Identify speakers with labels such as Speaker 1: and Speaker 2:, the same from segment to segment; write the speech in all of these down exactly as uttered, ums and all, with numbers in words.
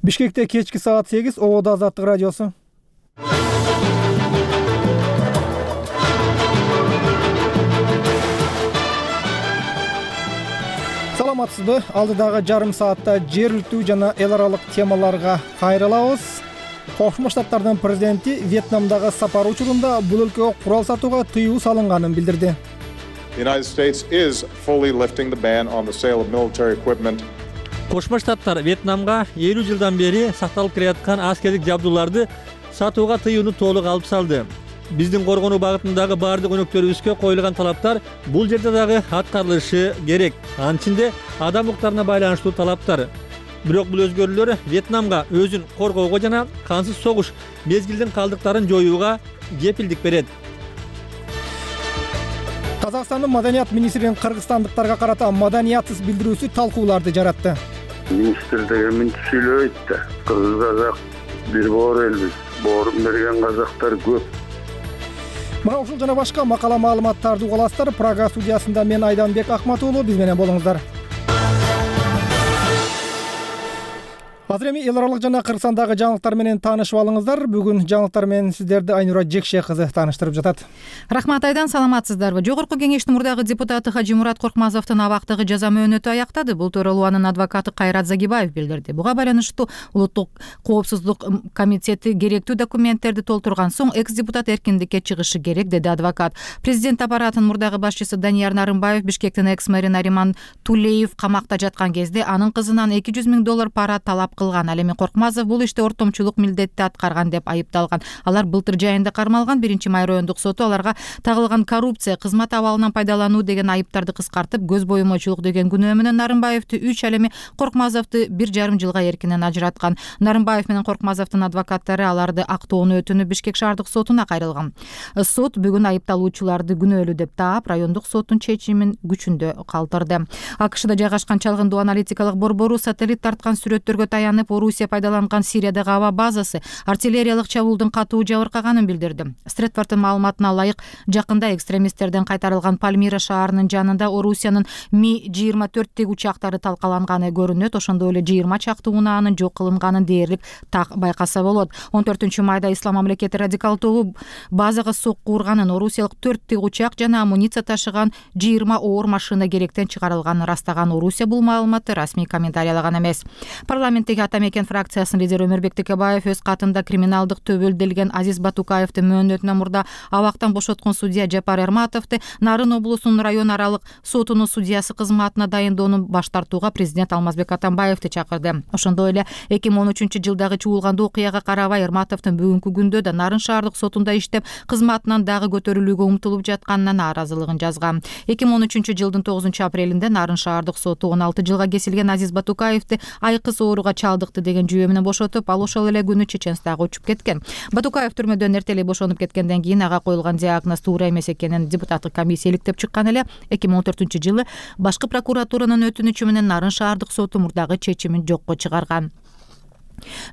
Speaker 1: Бишкекте кечки саат сегиз, Ободо Азаттык радиосу. Саламатсызбы? Алдыдагы жарым саатта жергиликтүү жана эл аралык темаларга кайрылабыз. Кошмо Штаттардын президенти Вьетнамдагы сапар учурунда бул өлкөгө курал сатууга тыюу салынганын билдирди.
Speaker 2: The United States is fully lifting the ban on the sale of military equipment.
Speaker 3: Кошмо Штаттар Вьетнамга элүү жылдан бери сакталып келаткан аскердик жабдууларды сатууга тыюуну толук алып салды. Биздин коргонуу багытындагы баардык өнөктөрүбүзгө коюлган талаптар бул жерде дагы аткарылышы керек. Анын ичинде адам укуктарына байланыштуу талаптар. Бирок бул өзгөрүүлөр Вьетнамга өзүн коргоого жана кансыз согуш мезгилдин калдыктарын жоюуга кепилдик берет.
Speaker 1: Казакстандын маданият министринин кыргызстандыктарга карата маданиятсыз билдирүүсү талкууларды жаратты.
Speaker 4: Министр деген мынтип сүйлөбөйт да. Кыргыз казак бир боор элбиз. Боорун берген казактар көп.
Speaker 1: Мына ушул жана башка макала маалыматтарды угаласыздар. Прага студиясында мен Айданбек Акматуулу, биз менен болуңуздар. Азыр эми эл аралык жана Кыргызстандагы жаңылыктар менен таанышып алыңыздар. Бүгүн жаңылыктар менен сиздерди Айнура Жекше кызы тааныштырып жатат.
Speaker 5: Рахмат Айдан, саламатсыздарбы? Жогорку кеңештин мурдагы депутаты Хажимурат Коркмазовдун абактагы жаза мөөнөтү аяктады. Бул тууралуу анын адвокаты Кайрат Загибаев билдирди. Буга байланыштуу Улуттук коопсуздук комитети керектүү документтерди толтурган соң экс-депутат эркиндикке чыгышы керек, деди адвокат. Президент аппаратынын мурдагы башчысы Данияр Нарымбаев Бишкектин экс-мэри Нариман Тулеев камакта жаткан кезде анын кызынан эки жүз миң доллар пара талап кылган. Ал эми Коркмазов бул иште ортомчулук милдетти аткарган деп айыпталган. Алар былтыр жайында кармалган. Биринчи май райондук соту аларга тагылган коррупция, кызмат абалынан пайдалануу деген айыптарды кыскартып, көз боюмочулук деген күнөө менен Нарымбаевди үч, ал эми Коркмазовду бир жарым жылга эркинен ажыраткан. Нарымбаев менен Коркмазовдун адвокаттары аларды актоонун өтүнүп Бишкек шаардык сотуна кайрылган. Сот бүгүн айыпталуучуларды күнөөлүү деп таап, райондук соттун чечимин күчүндө калтырды. АКШда жайгашкан чалгындуу аналитикалык борбору сателлит тарткан сүрөттөргө таянып, Орусия пайдаланган Сириядагы аба базасы артиллериялык чабуулдун катуу жабыркаганын билдирди. Стретфордтун маалыматына ылайык, жакында экстремисттерден кайтарылган Пальмира шаарынын жанында Орусиянын Ми жыйырма төрт учактары талкаланганы көрүнөт. Ошондой эле жыйырма чакты унаанын жок кылынганын дээрлик так байкаса болот. он төртүнчү майда Ислам мамлекети радикал тобу базага сокку урганын, орусиялык төрт учак жана амуниция ташыган жыйырма оор машина керектен чыгарылганын растаган Орусия бул маалыматты расмий комментарийлаган эмес. Парламенттеги Ата Мекен фракциясынын лидери Өмөрбек Текебаев өз катында криминалдык төбөлдөлгөн Азиз Батукаевдин мөөнөтүнөн мурда абактан бошоткон судья Жапар Эрматовду Нарын облусунун район аралык сотунун судьясы кызматына дайындоонун баш тартууга президент Алмазбек Атамбаевди чакырды. Ошондой эле эки миң он үчүнчү жылдагы чуулгандуу окуяга карабай Эрматовдун бүгүнкү күндө да Нарын шаардык сотунда иштеп, кызматынан дагы көтөрүлүүгө умтулуп жатканына нааразылыгын жазган. эки миң он үчүнчү жылдын тогузунчу апрелинде Нарын шаардык соту он алты жылга кесилген Азиз Батукаевди айкыс ооруга чалдыкты деген жүйө менен бошотуп, ал ошол эле күнү Чеченстага учуп кеткен. Батукаев түрмөдөн эртелей бошонуп кеткенден кийин ага коюлган диагноз туура эмес экенин депутаттык комиссия иликтеп чыккан эле. эки миң он төртүнчү жылы башкы прокуратуранын өтүнүчү менен Нарын шаардык соту мурдагы чечимин жокко чыгарган.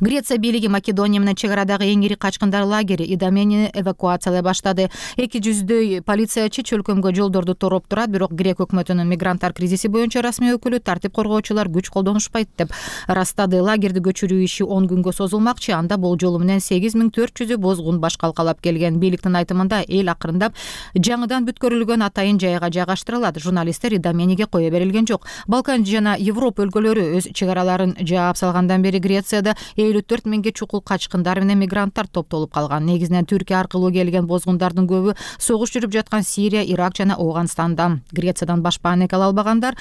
Speaker 5: Греция бийлиги Македония менен чек арадагы эң ири качкындар лагери Идоменини эвакуациялай баштады. эки жүздөй полициячы чөлкөмгө жолдорду тороп турат, бирок Грек өкмөтүнүн мигранттар кризиси боюнча расмий өкүлү тартип коргоочулар күч колдонушпайт деп ырастады. Лагерди көчүрүү иши он күнгө созулмакчы. Анда болжолу менен сегиз миң төрт жүзү бозгун баш калкалап келген. Бийликтин айтымында эл акырындап жаңыдан бүткөрүлгөн атайын жайга жайгаштырылат. Журналисттер Идомениге кое берилген жок. Балкан жана Европа өлкөлөрү өз чек араларын жаап салгандан бери Грецияда элүү төрт миңге чукул качкындар менен мигранттар топтолуп калган. Негизинен Түркия аркылуу келген бозгундардын көбү согуш жүрүп жаткан Сирия, Ирак жана Ооганстанда. Грециядан башпаанек ала албагандар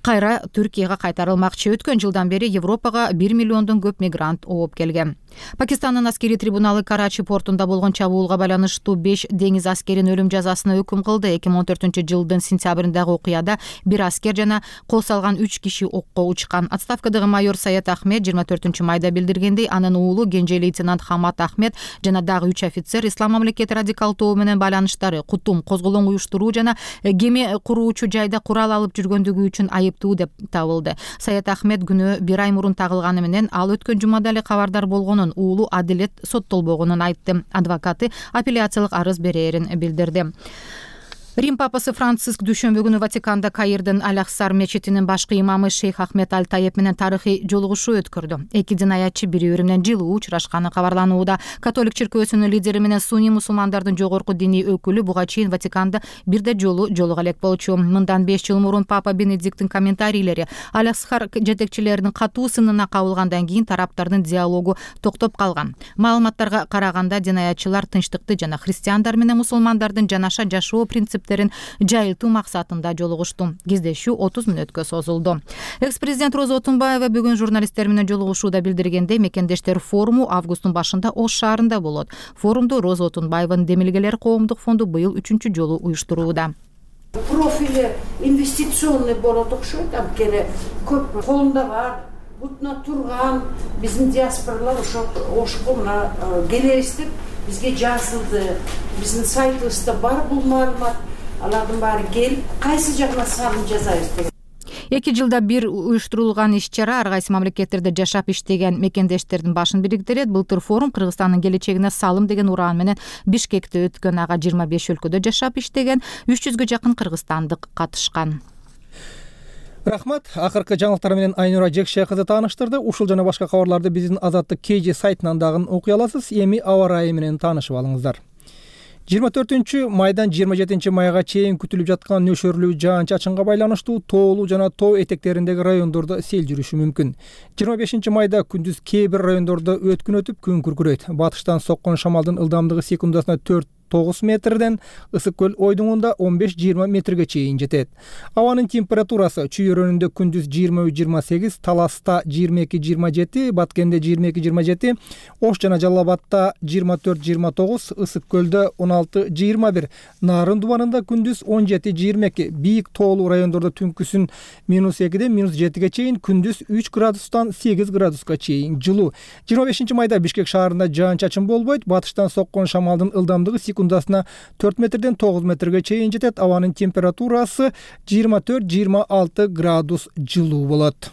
Speaker 5: кайра Түркияга кайтарылмакчы. Өткөн жылдан бери Европага бир миллиондон көп мигрант ооп келген. Пакистандын аскери трибуналы Карачи портунда болгон чабуулга байланыштуу беш деңиз аскерин өлүм жазасына өкүм кылды. эки миң он төртүнчү жылдын сентябрындагы окуяда бир аскер жана кол салган үч киши окко учкан. Отставкадагы майор Саят Ахмед жыйырма төртүнчү майда билдиргендей, анын уулу кенже лейтенант Хамат Ахмед жана дагы үч офицер Ислам мамлекети радикал тобу менен байланыштары, кутум, козголоң уюштуруу жана кеме куруучу жайда курал алып жүргөндүгү үчүн айыптуу деп табылды. Саят Ахмед күнөө бир ай мурун тагылганы менен ал өткөн жумада эле кабардар болгонун, уулу адилет соттолбогонун айтты. Адвокаты апелляциялык арыз берээрин билдирди. Рим папасы Франциск дүйшөмбү күнү Ватиканда Каирдин Аль-Ахсар мечитинин башкы имамы шейх Ахмед Аль-Таеп менен тарыхый жолугушуу өткөрдү. Эки динаятчы бири-бири менен жылуу учурашканы кабарланууда. Католик чиркөөсүнүн лидери менен сунний мусулмандардын жогорку диний өкүлү буга чейин Ватиканда бирде жолу жолуга элек болчу. Мындан беш жыл мурун папа Бенедикттин комментарийлери Аль-Ахсар жетекчилеринин катуу сынына кабылгандан кийин тараптардын диалогу токтоп калган. Маалыматтарга караганда динаятчылар тынчтыкты жана христиандар менен мусулмандардын жанаша жашоо принцип жайылтуу максатында жолугушту. Кездешүү отуз мүнөткө созулду. Экс-президент Роза Отунбаева бүгүн журналисттер менен жолугушууда билдиргендей, мекендештер форуму августтун башында Ош шаарында болот. Форумду Роза Отунбаеванын Демилгелер коомдук фонду быйыл үчүнчү жолу уюштурууда.
Speaker 6: Профили инвестиционный болот окшойт, анткени көп колунда бар, бутуна турган биздин диаспоралар ошо Ошко мына келебиз деп бизге жазылды. Биздин сайтыбызда бар бул маалымат. Алардын баары келип, кайсы жагына санын жазайбыз деген.
Speaker 5: Эки жылда бир уюштурулган иш-чара ар кайсы мамлекеттерде жашап иштеген мекендештердин башын бириктирет. Былтыр форум Кыргызстандын келечегине салым деген ураан менен Бишкекте өткөн. Ага жыйырма беш өлкөдө жашап иштеген үч жүзгө жакын кыргызстандык катышкан.
Speaker 1: Рахмат. Акыркы жаңылыктар менен Айнура Жекше кызы тааныштырды. Ушул жана башка кабарларды биздин Азаттык кей же сайтынан дагы окуй аласыз. Эми аба ырайы менен таанышып алыңыздар. жыйырма төртүнчү майдан жыйырма жетинчи майга чейин күтүлүп жаткан нөшөрлүү жаан-чачынга байланыштуу тоолуу жана тоо этектериндеги райондордо сел жүрүшү мүмкүн. жыйырма бешинчи майда күндүз кээ бир райондордо өткүн өтүп күн күркүрөйт. Батыштан соккон шамалдын ылдамдыгы секундасына төрт тогуз метрден ысык көл ойдуңунда он беш жыйырма метрге чейин жетет. Абанын температурасы Чүй-Өрөнүндө күндүз жыйырма үч жыйырма сегиз, Таласта жыйырма эки жыйырма жети, Баткенде жыйырма эки жыйырма жети, Ош жана Жалал Абадта жыйырма төрт жыйырма тогуз, Ысык көлдө он алты жыйырма бир, Нарын Дубанында күндүз он жети жыйырма эки, бийик тоолуу райондордо түнкүсүн минус экиден минус жетиге чейин, күндүз үч градустан сегиз градуска чейин жылуу. жыйырма бешинчи майда Бишкек шаарында жаан-чачын болбойт. Батыштан соккон шамалдын ылдамдыгы секундасына төрт метрден тогуз метрге чейин жетет. Абанын температурасы жыйырма төрт жыйырма алты градус жылуу болот.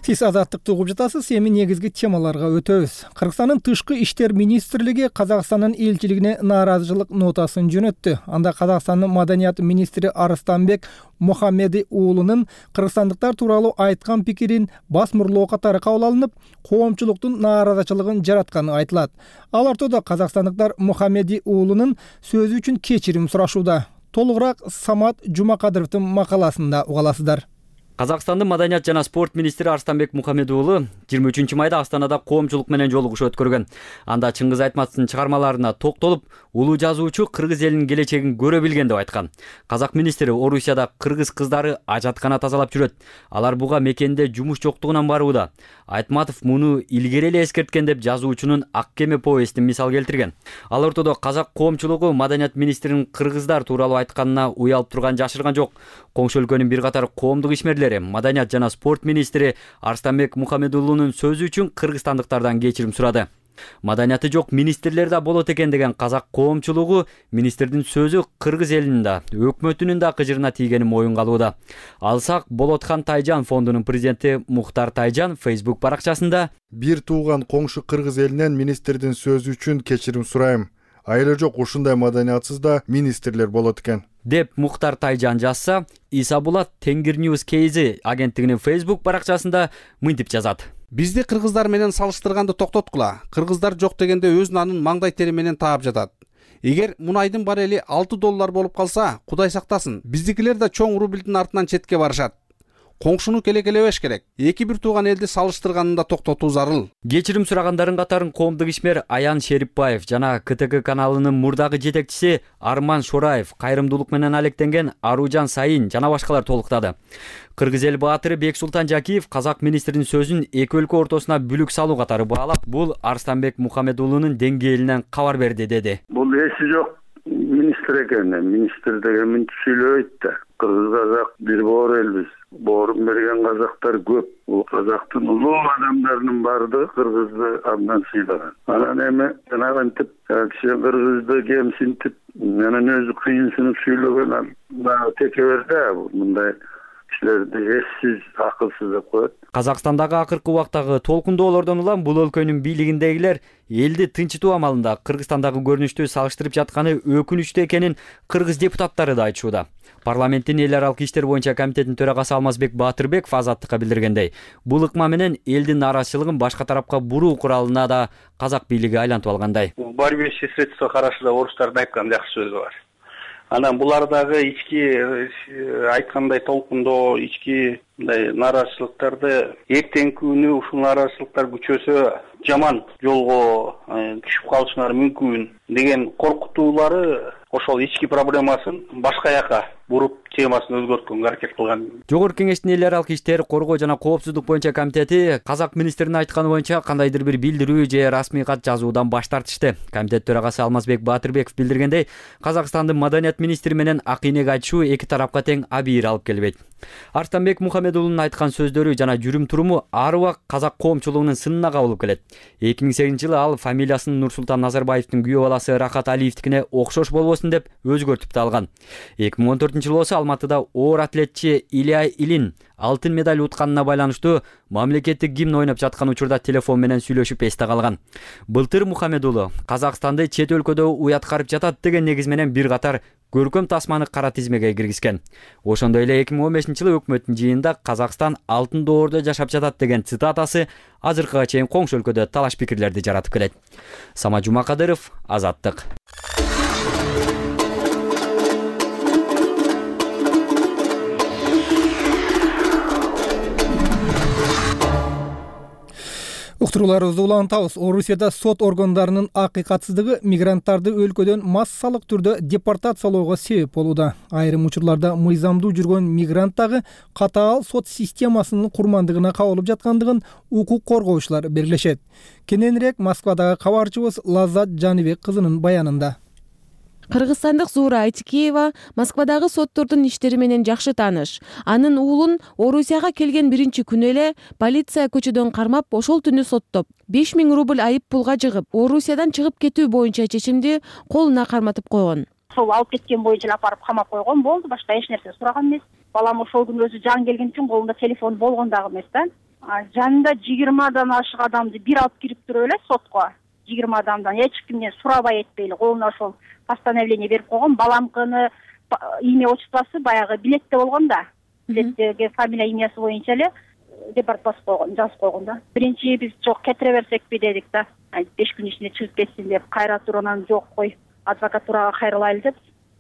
Speaker 1: Сиз Азаттыкты угуп жатасыз. Эми негизги темаларга өтөбүз. Кыргызстандын тышкы иштер министрлиги Казакстандын элчилигине нааразычылык нотасын жөнөттү. Анда Казакстандын маданият министри Арыстанбек Мухаммеди уулунун кыргызстандыктар тууралуу айткан пикирин басмырлоо катары кабыл алынып, коомчулуктун нааразычылыгын жаратканы айтылат. Ал ортодо казакстандыктар Мухаммеди уулунун сөзү үчүн кечирим сурашууда. Толугураак Самат Жумакадыровдун макаласында уга аласыздар.
Speaker 7: Казакстандын маданият жана спорт министри Арыстанбек Мухаммеди уулу жыйырма үчүнчү майда Астанада коомчулук менен жолугуш өткөргөн. Анда Чыңгыз Айтматовдун чыгармаларына токтолуп, улуу жазуучу кыргыз элинин келечегин көрө билген деп айткан. Казак министри Орусияда кыргыз кыздары ажаткана тазалап жүрөт. Алар буга мекенде жумуш жоктугунан барууда. Айтматов муну илгери эле эскерткен деп жазуучунун Ак кеме повестин мисал келтирген. Ал ортодо казак коомчулугу маданият министринин кыргыздар тууралуу айтканына уялып турган жашырган жок. Коңшу өлкөнүн бир катар коомдук ишмерлери маданият жана спорт министри Арыстанбек Мухаммеди уулунун сөзү үчүн кыргызстандыктардан кечирим сурады. Маданияты жок министрлер да болот экен деген казак коомчулугу министрдин сөзү кыргыз элинин да, өкмөтүнүн да кыжырына тийгенин моюнга алууда. Алсак, Болотхан Тайжан фондунун президенти Мухтар Тайжан Facebook баракчасында:
Speaker 8: бир тууган коңшу кыргыз элинен министрдин сөзү үчүн кечирим сурайм. Айла жок ушундай маданиятсыз да министрлер болот экен
Speaker 7: деп Мухтар Тайжан жазса, Исабулат Тенгир News Кейзи агенттигинин Facebook баракчасында мынтип жазат:
Speaker 9: бизди кыргыздар менен салыштырганды токтоткула. Кыргыздар жок дегенде өз нанын маңдай тери менен таап жатат. Эгер мунайдын барели алты доллар болуп калса, Кудай сактасын, биздикилер да чоң рубльдин артынан четке барышат. Коңшуну келекелебеш керек. Эки бир тууган элди салыштырганында токтотуу зарыл.
Speaker 7: Кечирим сурагандардын катарын коомдук ишмер Аян Шерипбаев жана КТК каналынын мурдагы жетекчиси Арман Шораев, кайрымдуулук менен алектенген Аружан Сайын жана башкалар толуктады. Кыргыз эл баатыры Бексултан Жакиев казак министринин сөзүн эки өлкө ортосуна бүлүк салуу катары баалап, бул Арыстанбек Мухаммеди уулунун деңгээлинен кабар берди деди.
Speaker 4: Бул эси жок министр экен. Министр деген мынтип сүйлөбөйт да. Кыргыз казак бир боор элбиз. Боорун берген казактар көп. Бул казактын улуу адамдарынын баардыгы кыргызды абдан сыйлаган. Анан эми жанагынтип киши кыргызды кемсинтип, анан өзү кыйынсынып сүйлөгөн дагы текебер да. Мындай кишилерди эссиз, акылсыз деп коет.
Speaker 7: Казакстандагы акыркы убактагы толкундоолордон улам бул өлкөнүн бийлигиндегилер элди тынчытуу амалында Кыргызстандагы көрүнүштү салыштырып жатканы өкүнүчтүү экенин кыргыз депутаттары да айтышууда. Парламенттин эл аралык иштер боюнча комитетинин төрагасы Алмазбек Баатырбеков Азаттыкка билдиргендей, бул ыкма менен элдин нааразычылыгын башка тарапка буруу куралына да казак бийлиги айлантып алгандай.
Speaker 10: В борьбе все средства хороши, орустардын айткан жакшы сөзү бар. Анан булардагы ички айткандай толкундоо, ички мындай нааразычылыктарды эртеңки күнү ушул нааразычылыктар күчөсө жаман жолго түшүп калышыңар мүмкүн деген коркутуулары ошол ички проблемасын башка жака буруп темасын өзгөрткөнгө аракет кылган.
Speaker 7: Жогорку Кеңештин эл аралык иштер, коргоо жана коопсуздук боюнча комитети казак министринин айтканы боюнча кандайдыр бир билдирүү же расмий кат жазуудан баш тартышты. Комитет төрагасы Алмазбек Баатырбеков билдиргендей, Казакстандын маданият министри менен акыйнек айтышуу эки тарапка тең абийир алып келбейт. Арстанбек Мухаммедулунун айткан сөздөрү жана жүрүм туруму ар убак казак коомчулугунун сынына кабылып келет. эки миң сегизинчи жылы ал фамилиясын Нурсултан Назарбаевдин күйөө баласы Рахат Алиевдикине окшош болбосун деп өзгөртүп да алган. эки миң он төртүнчү жылы болсо Алматыда оор атлетчи Илья Илин алтын медаль утканына байланыштуу мамлекеттик гимн ойноп жаткан учурда телефон менен сүйлөшүп эсте калган. Былтыр Мухаммедулу Казакстанды чет өлкөдө уяткарып жатат деген негиз менен бир катар көркөм тасманы кара тизмеге киргизген. Ошондой эле эки миң он бешинчи жылы өкмөттүн жыйынында Казакстан алтын доордо жашап жатат деген цитатасы азыркыга чейин коңшу өлкөдө талаш пикирлерди жаратып келет. Самат Жумакадыров, Азаттык.
Speaker 1: Уктурууларыбызды улантабыз. Орусияда сот органдарынын акыйкатсыздыгы мигранттарды өлкөдөн массалык түрдө депортациялоого себеп болууда. Айрым учурларда мыйзамдуу жүргөн мигрант дагы катаал сот системасынын курмандыгына кабылып жаткандыгын укук коргоочулар белгилешет. Кененирээк Москвадагы кабарчыбыз Лаззат Жаныбек кызынын баянында.
Speaker 11: Кыргызстандык Зуура Айтикеева Москвадагы соттордун иштери менен жакшы тааныш. Анын уулун Орусияга келген биринчи күнү эле полиция көчөдөн кармап, ошол түнү соттоп, беш миң рубль айып пулга жыгып, Орусиядан чыгып кетүү боюнча чечимди колуна карматып койгон.
Speaker 12: Сол алып кеткен боюнча апарып камап койгон, болду, башка эч нерсе сураган эмес. Балам ошол күнү өзү жан келген үчүн колунда телефон болгон дагы эмес да. Жанында жыйырмадан ашык адамды бир алып кирип туруп эле сотко. жыйырма адамдан эч кимден сурабай этпейли, колуна ошол постановление берип койгон. Баламкыны имя отчествосы баягы билетте болгон да. Билеттеги фамилия имясы боюнча эле депорт басып койгон, жазып койгон да. Биринчи биз жок кетире берсекпи дедик да. беш күн ичинде чыгып кетсин деп, кайра туруп жок кой, адвокатурага кайрылайлы деп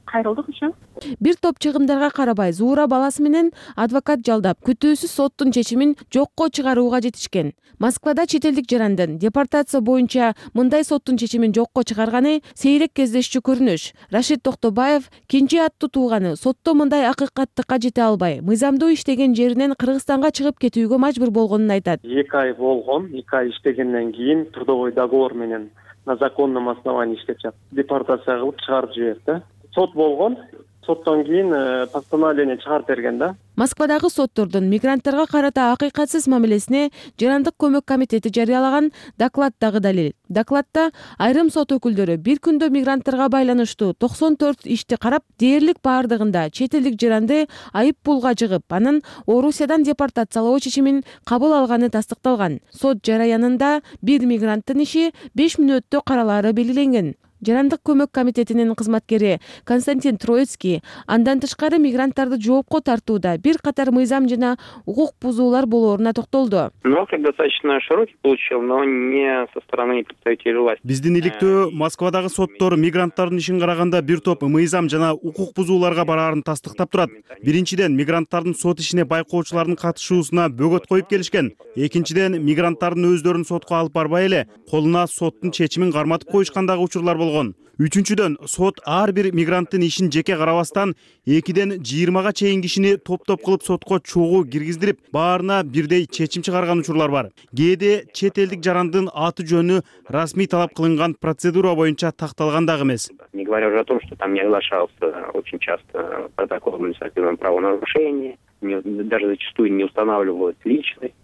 Speaker 12: кайрылдык ошо.
Speaker 11: Бир топ чыгымдарга карабай Зуура баласы менен адвокат жалдап, күтүүсүз соттун чечимин жокко чыгарууга жетишкен. Москвада чет элдик жарандын депортация боюнча мындай соттун чечимин жокко чыгарганы сейрек кездешчү көрүнүш. Рашид Токтобаев кинчи аттуу тууганы сотто мындай акыйкаттыкка жете албай, мыйзамдуу иштеген жеринен Кыргызстанга чыгып кетүүгө мажбур болгонун айтат.
Speaker 13: эки ай болгон, эки ай иштегенден кийин трудовой договор менен на законном основании иштеп жатып, депортация кылып чыгарып жиберди. Сот болгон, соттон кийин постановление чыгарып берген да.
Speaker 11: Москвадагы соттордун мигранттарга карата акыйкатсыз мамилесине Жарандык көмөк комитети жарыялаган доклад дагы далил. Докладда айрым сот өкүлдөрү бир күндө мигранттарга байланыштуу токсон төрт ишти карап, дээрлик баардыгында чет элдик жаранды айып пулга жыгып, анын Орусиядан депортациялоо чечимин кабыл алганы тастыкталган. Сот жараянында бир мигранттын иши беш мүнөттө каралаары белгиленген. Жарандык көмөк комитетинин кызматкери Константин Троицкий андан тышкары мигранттарды жоопко тартууда бир катар мыйзам жана укук бузуулар болоруна токтолду.
Speaker 14: Достаточно широкий получил, но не со стороны представителей власти.
Speaker 15: Биздин иликтөө Москвадагы соттор мигранттардын ишин караганда бир топ мыйзам жана укук бузууларга бараарын тастыктап турат. Биринчиден, мигранттардын сот ишине байкоочулардын катышуусуна бөгөт коюп келишкен. Экинчиден, мигранттардын өздөрүн сотко алып барбай эле колуна соттун чечимин карматып коюшкандагы учурлар болгон. Үчүнчүдөн, сот ар бир мигранттын ишин жеке карабастан экиден жыйырмага чейин кишини топ-топ кылып сотко чогуу киргиздирип, баарына бирдей чечим чыгарган учурлар бар. Кээде чет элдик жарандын аты жөнү расмий талап кылынган процедура боюнча такталган дагы эмес.
Speaker 14: Не говоря уже о том, что там не оглашался очень часто протокол административного правонарушения, даже зачастую не устанавливают личность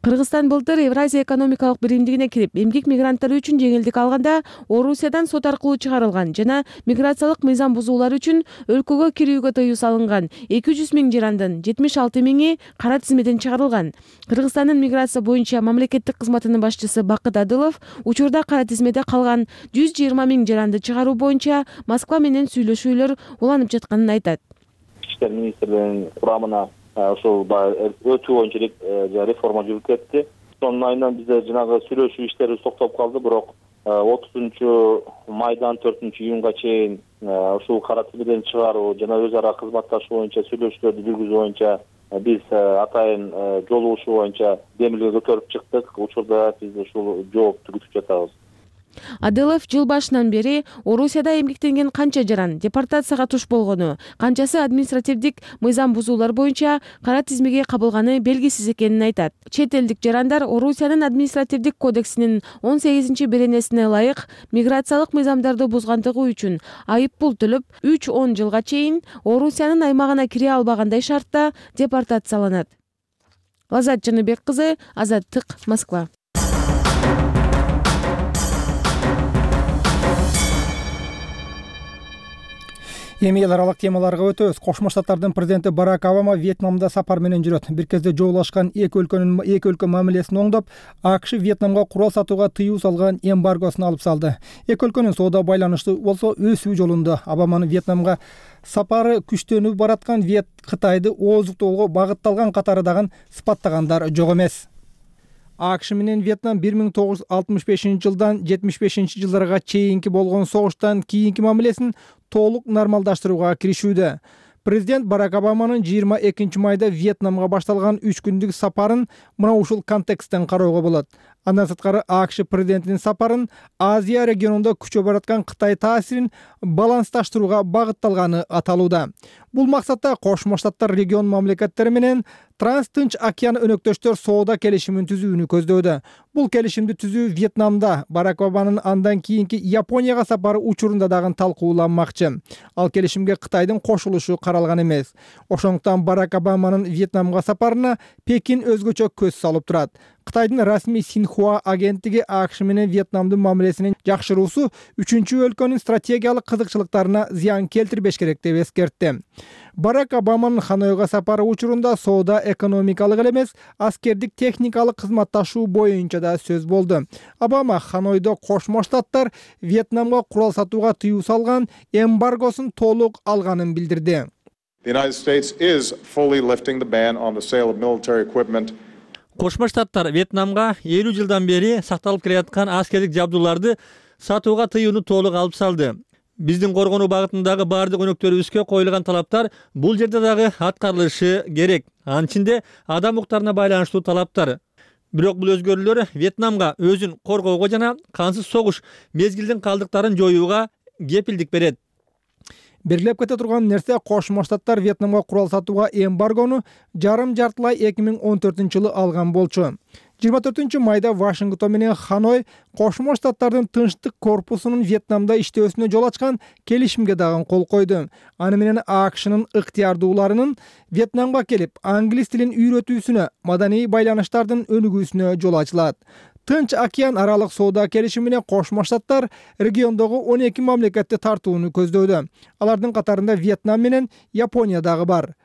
Speaker 11: Кыргызстан былтыр Евразия экономикалык биримдигине кирип, эмгек мигранттары үчүн жеңилдик алганда Орусиядан сот аркылуу чыгарылган жана миграциялык мыйзам бузуулар үчүн өлкөгө кирүүгө тыюу салынган эки жүз миң жарандын жетимиш алты миңи кара тизмеден чыгарылган. Кыргызстандын миграция боюнча мамлекеттик кызматынын башчысы Бакыт Адылов учурда кара тизмеде калган жүз жыйырма миң жаранды чыгаруу боюнча Москва менен сүйлөшүүлөр уланып жатканын айтат.
Speaker 16: Ички иштер министрлигинин курамына ошол өтүү боюнча реформа жүрүп кетти. Сонун айынан бизде жанагы сүйлөшүү иштери токтоп калды, бирок отузунчу майдан төртүнчү июнга чейин ушул кара тизмеден чыгаруу жана өз ара кызматташуу боюнча сүйлөшүүлөрдү жүргүзүү боюнча биз атайын жолугушуу боюнча демилге көтөрүп чыктык. Учурда биз ушул жоопту күтүп жатабыз.
Speaker 11: Адылов жыл башынан бери Орусияда эмгектенген канча жаран депортацияга туш болгону, канчасы административдик мыйзам бузуулар боюнча кара тизмеге кабылганы белгисиз экенин айтат. Чет элдик жарандар Орусиянын административдик кодексинин он сегизинчи беренесине ылайык миграциялык мыйзамдарды бузгандыгы үчүн айып пул төлөп үч он жылга чейин Орусиянын аймагына кире албагандай шартта депортацияланат. Лазат Жаныбек кызы, Азаттык, Москва.
Speaker 1: Эми эл аралык темаларга өтөбүз. Кошмо Штаттардын президенти Барак Обама Вьетнамда сапар менен жүрөт. Бир кезде жоолашкан эки өлкөнүн эки өлкө мамилесин оңдоп, АКШ Вьетнамга курал сатууга тыюу салган эмбаргосун алып салды. Эки өлкөнүн соода байланышы болсо өсүү жолунда. Обаманын Вьетнамга сапары күчтөнүп бараткан Вьет Кытайды ооздуктоого багытталган катары дагы сыпаттагандар жок эмес. АКШ менен Вьетнам бир миң тогуз жүз алтымыш бешинчи жылдан жетимиш бешинчи жылдарга чейинки болгон согуштан кийинки мамилесин толук нормалдаштырууга киришүүдө. Президент Барак Обаманын жыйырма экинчи майда Вьетнамга башталган үч күндүк сапарын мына ушул контексттен кароого болот. Андан сырткары АКШ президентинин сапарын Азия регионунда күчөп бараткан Кытай таасирин балансташтырууга багытталганы аталууда. Бул максатта Кошмо Штаттар регион мамлекеттери менен Транс-Тынч океан өнөктөштөр соода келишимин түзүүнү көздөдө. Бул келишимди түзүү Вьетнамда Барак Обаманын андан кийинки Японияга сапары учурунда дагы талкууланмакчы. Ал келишимге Кытайдын кошулушу каралган эмес. Ошондуктан Барак Обаманын Вьетнамга сапарына Пекин өзгөчө көз салып турат. Кытайдын расмий Синьхуа агенттиги АКШ менен Вьетнамдын мамилесинин жакшыруусу үчүнчү өлкөнүн стратегиялык кызыкчылыктарына зыян келтирбеш керек деп эскертти. Барак Обаманын Ханойго сапары учурунда соода экономикалык эле эмес, аскердик техникалык кызматташуу боюнча да сөз болду. Обама Ханойдо Кошмо Штаттар Вьетнамга курал сатууга тыюу салган эмбаргосун толук алганын билдирди.
Speaker 2: The United States is fully lifting the ban on the sale of military equipment.
Speaker 3: Кошмо Штаттар Вьетнамга элүү жылдан бери сакталып келаткан аскердик жабдууларды сатууга тыюуну толук алып салды. Биздин коргонуу багытындагы баардык өнөктөрүбүзгө коюлган талаптар бул жерде дагы аткарылышы керек. Анын ичинде адам укуктарына байланыштуу талаптар. Бирок бул өзгөрүүлөр Вьетнамга өзүн коргоого жана кансыз согуш мезгилдин калдыктарын жоюуга кепилдик берет. Белгилеп кете турган нерсе Кошмо Штаттар Вьетнамга курал сатууга эмбаргону жарым жартылай эки миң он төртүнчү жылы алган болчу. жыйырма төртүнчү майда Вашингтон менен Ханой Кошмо Штаттардын тынчтык корпусунун Вьетнамда иштөөсүнө жол ачкан келишимге дагы кол койду. Аны менен АКШнын ыктыярдууларынын Вьетнамга келип, англис тилин үйрөтүүсүнө, маданий байланыштардын өнүгүүсүнө жол ачылат. Тынч океан аралык соода келишимине Кошмо Штаттар региондогу он эки мамлекетти тартууну көздөдө. Алардын катарында Вьетнам менен Япония дагы бар.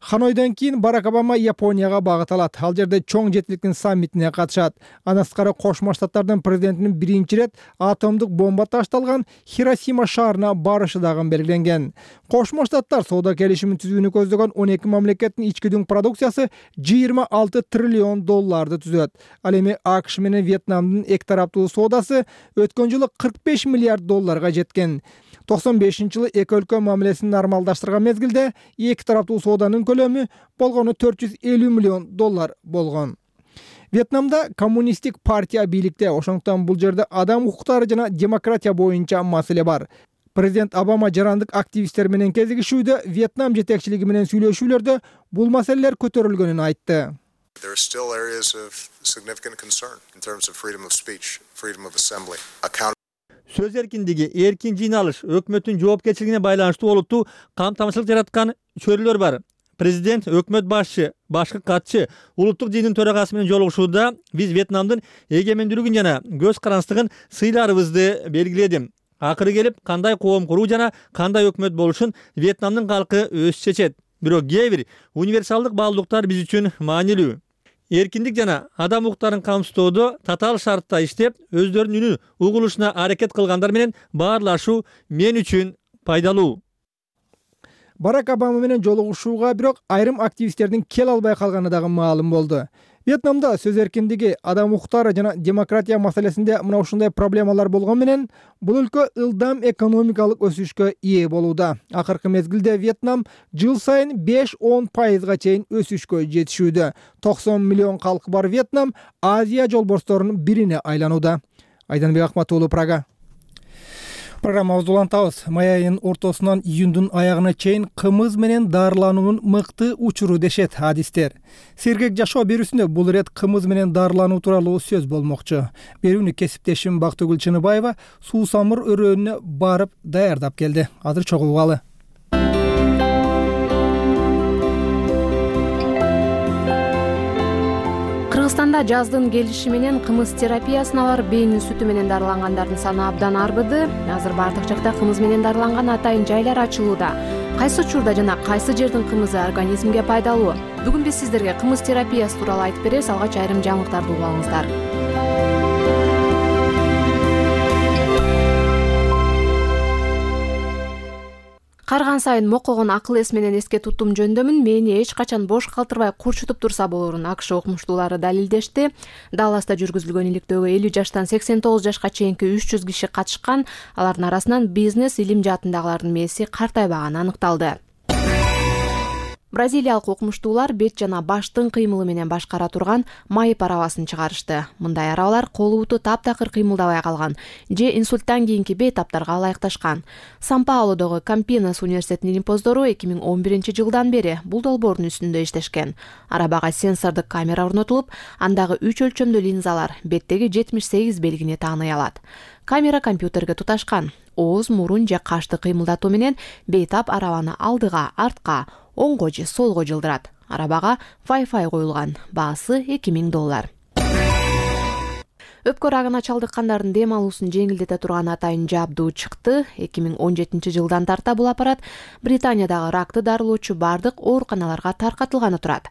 Speaker 3: Ханойдон кийин Барак Обама Японияга багыт алат. Ал жерде чоң жетиликтин саммитине катышат. Андан сырткары Кошмо Штаттардын президентинин биринчи ирет атомдук бомба ташталган Хиросима шаарына барышы дагы белгиленген. Кошмо Штаттар соода келишимин түзүүнү көздөгөн он эки мамлекеттин ички дүң продукциясы жыйырма алты триллион долларды түзөт. Ал эми АКШ менен Вьетнамдын эки тараптуу соодасы өткөн жылы кырк беш миллиард долларга жеткен. токсон бешинчи жылы эки өлкө мамилесин нормалдаштырган мезгилде эки тараптуу сооданын көлөмү болгону төрт жүз элүү миллион доллар болгон. Вьетнамда коммунисттик партия бийликте, ошондуктан бул жерде адам укуктары жана демократия боюнча маселе бар. Президент Обама жарандык активисттер менен кезигишүүдө, Вьетнам жетекчилиги менен сүйлөшүүлөрдө бул маселелер көтөрүлгөнүн айтты.
Speaker 17: There are still areas of significant concern in terms of freedom of speech, freedom of assembly, accountability.
Speaker 3: Сөз эркиндиги, эркин жыйналыш, өкмөттүн жоопкерчилигине байланыштуу олуттуу камтамашылык жараткан чөйрөлөр бар. Президент, өкмөт башчы, башкы катчы, улуттук жыйындын төрагасы менен жолугушууда биз Вьетнамдын эгемендүүлүгүн жана көз карандысыздыгын сыйларыбызды белгиледим. Акыры келип, кандай коом куруу жана кандай өкмөт болушун Вьетнамдын калкы өзү чечет. Бирок кээ бир универсалдык баалуулуктар биз үчүн маанилүү. Эркиндик жана адам укуктарын камсыздоодо татаал шартта иштеп, өздөрүнүн үнү угулушуна аракет кылгандар менен баарлашуу мен үчүн пайдалуу.
Speaker 1: Барак Обама менен жолугушууга бирок айрым активисттердин кел албай калганы дагы маалым болду. Вьетнамда сөз эркиндиги, адам укуктары жана демократия маселесинде мына ушундай проблемалар болгон менен бул өлкө ылдам экономикалык өсүшкө ээ болууда. Акыркы мезгилде Вьетнам жыл сайын беш он пайызга чейин өсүшкө жетишүүдө. токсон миллион калкы бар Вьетнам Азия жолборсторунун бирине айланууда. Айданбек Акматуулу, Прага. Программабызды улантабыз. Май айынын ортосунан июндун аягына чейин кымыз менен дарылануунун мыкты учуру дешет адистер. Сергек жашоо берүүсүндө бул ирет кымыз менен дарылануу тууралуу сөз болмокчу. Берүүнү кесиптешим Бактыгүл Чыныбаева Суусамыр өрөөнүнө барып даярдап келди. Азыр чогулгалы.
Speaker 18: Кыргызстанда жаздын келиши менен кымыз терапиясына барып бейнин сүтү менен дарылангандардын саны абдан арбыды. Азыр бардык жакта кымыз менен дарыланган атайын жайлар ачылууда. Кайсы учурда жана кайсы жердин кымызы организмге пайдалуу? Бүгүн биз сиздерге кымыз терапиясы тууралуу айтып беребиз. Алгач айрым жаңылыктарды угуп алыңыздар. Карган сайын мокогон акыл эс менен эске туттум жөндөмүн. Мени эч качан бош калтырбай курчутуп турса болорун АКШ окумуштуулары далилдешти. Далласта жүргүзүлгөн иликтөөгө элүү жаштан сексен тогуз жашка чейинки үч жүз киши катышкан. Алардын арасынан бизнес, илим жаатындагылардын мээси картайбаганы аныкталды. Бразилиялык окумуштуулар бет жана баштын кыймылы менен башкара турган майып арабасын чыгарышты. Мындай арабалар колубуту таптакыр кыймылдабай калган же инсульттан кийинки бейтаптарга ылайыкташкан. Сан-Паулодогу Кампинас университетинин илимпоздору эки миң он биринчи жылдан бери бул долбоордун үстүндө иштешкен. Арабага сенсордук камера орнотулуп, андагы үч өлчөмдүү линзалар беттеги жетимиш сегиз белгини тааный алат. Камера компьютерге туташкан. Ооз, мурун же кашты кыймылдатуу менен бейтап арабаны алдыга, артка, оңго же солго жылдырат. Арабага Wi-Fi коюлган. Баасы эки миң доллар. Өпкө рагына чалдыккандардын дем алуусун жеңилдете турган атайын жабдуу чыкты. эки миң он жетинчи жылдан тарта бул аппарат Британиядагы ракты дарылоочу бардык ооруканаларга таркатылганы турат.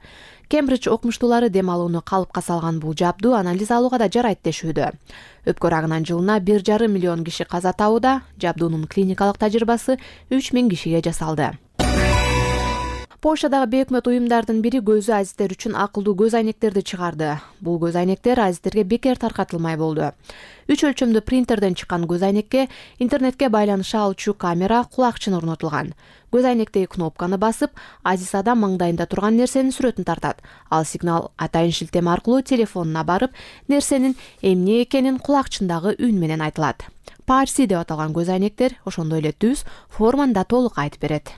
Speaker 18: Кембридж окумуштуулары дем алууну калыпка салган бул жабдуу анализ алууга да жарайт дешүүдө. Өпкө рагынан жылына бир жарым миллион киши каза табууда. Жабдуунун клиникалык тажрыйбасы үч миң кишиге жасалды. Польшадагы бейөкмөт уюмдардын бири көзү азиздер үчүн акылдуу көз айнектерди чыгарды. Бул көз айнектер азиздерге бекер таркатылмай болду. Үч өлчөмдүү принтерден чыккан көз айнекке интернетке байланыша алчу камера, кулакчын орнотулган. Көз айнектеги кнопканы басып, азиз адам маңдайында турган нерсенин сүрөтүн тартат. Ал сигнал атайын шилтеме аркылуу телефонуна барып, нерсенин эмне экенин кулакчындагы үн менен айтылат. Парси деп аталган көз айнектер ошондой эле түз, форманда толук айтып берет.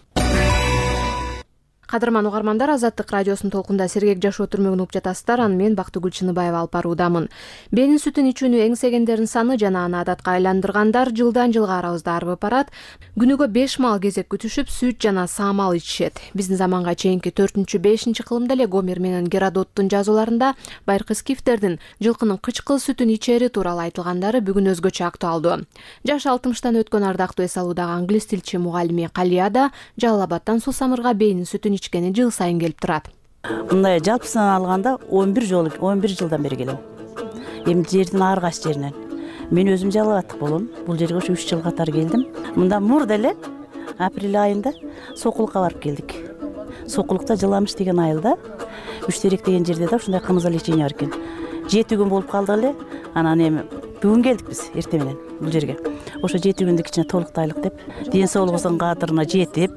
Speaker 18: Кадырман угармандар, Азаттык радиосунун толкунда сергек жашоо түрмөгүн угуп жатасыздар. Аны мен Бактыгүл Чыныбаева алып баруудамын. Бенин сүтүн ичүүнү эңсегендердин саны жана аны адатка айландыргандар жылдан жылга арабызда арбып барат. Күнүгө беш маал кезек күтүшүп, сүт жана саамал ичишет. Биздин заманга чейинки төртүнчү бешинчи кылымда эле Гомер менен Геродоттун жазууларында байыркы скифтердин жылкынын кычкыл сүтүн ичери тууралуу айтылгандары бүгүн өзгөчө актуалдуу. Жаш алтымыштан өткөн ардактуу эс алуудагы англис тилчи мугалими Калияда Жалал Абадтан Суусамырга бенин сүтүн ичкени жыл сайын келип турат.
Speaker 19: Мындай жалпысынан алганда он бир жолу он бир жылдан бери келем. Эми жердин ар кайсы жеринен. Мен өзүм Жалал Абадтык болом. Бул жерге ушу үч жыл катар келдим. Мында мурда эле апрель айында Сокулукка барып келдик. Сокулукта Жыламыш деген айылда Үч терек деген жерде да ушундай кымыз лечение бар экен. жети күн болуп калдык эле. Анан эми бүгүн келдик биз эртең менен бул жерге. Ошо жети күндү кичине толуктайлык деп, ден соолугубуздун кадырына жетип.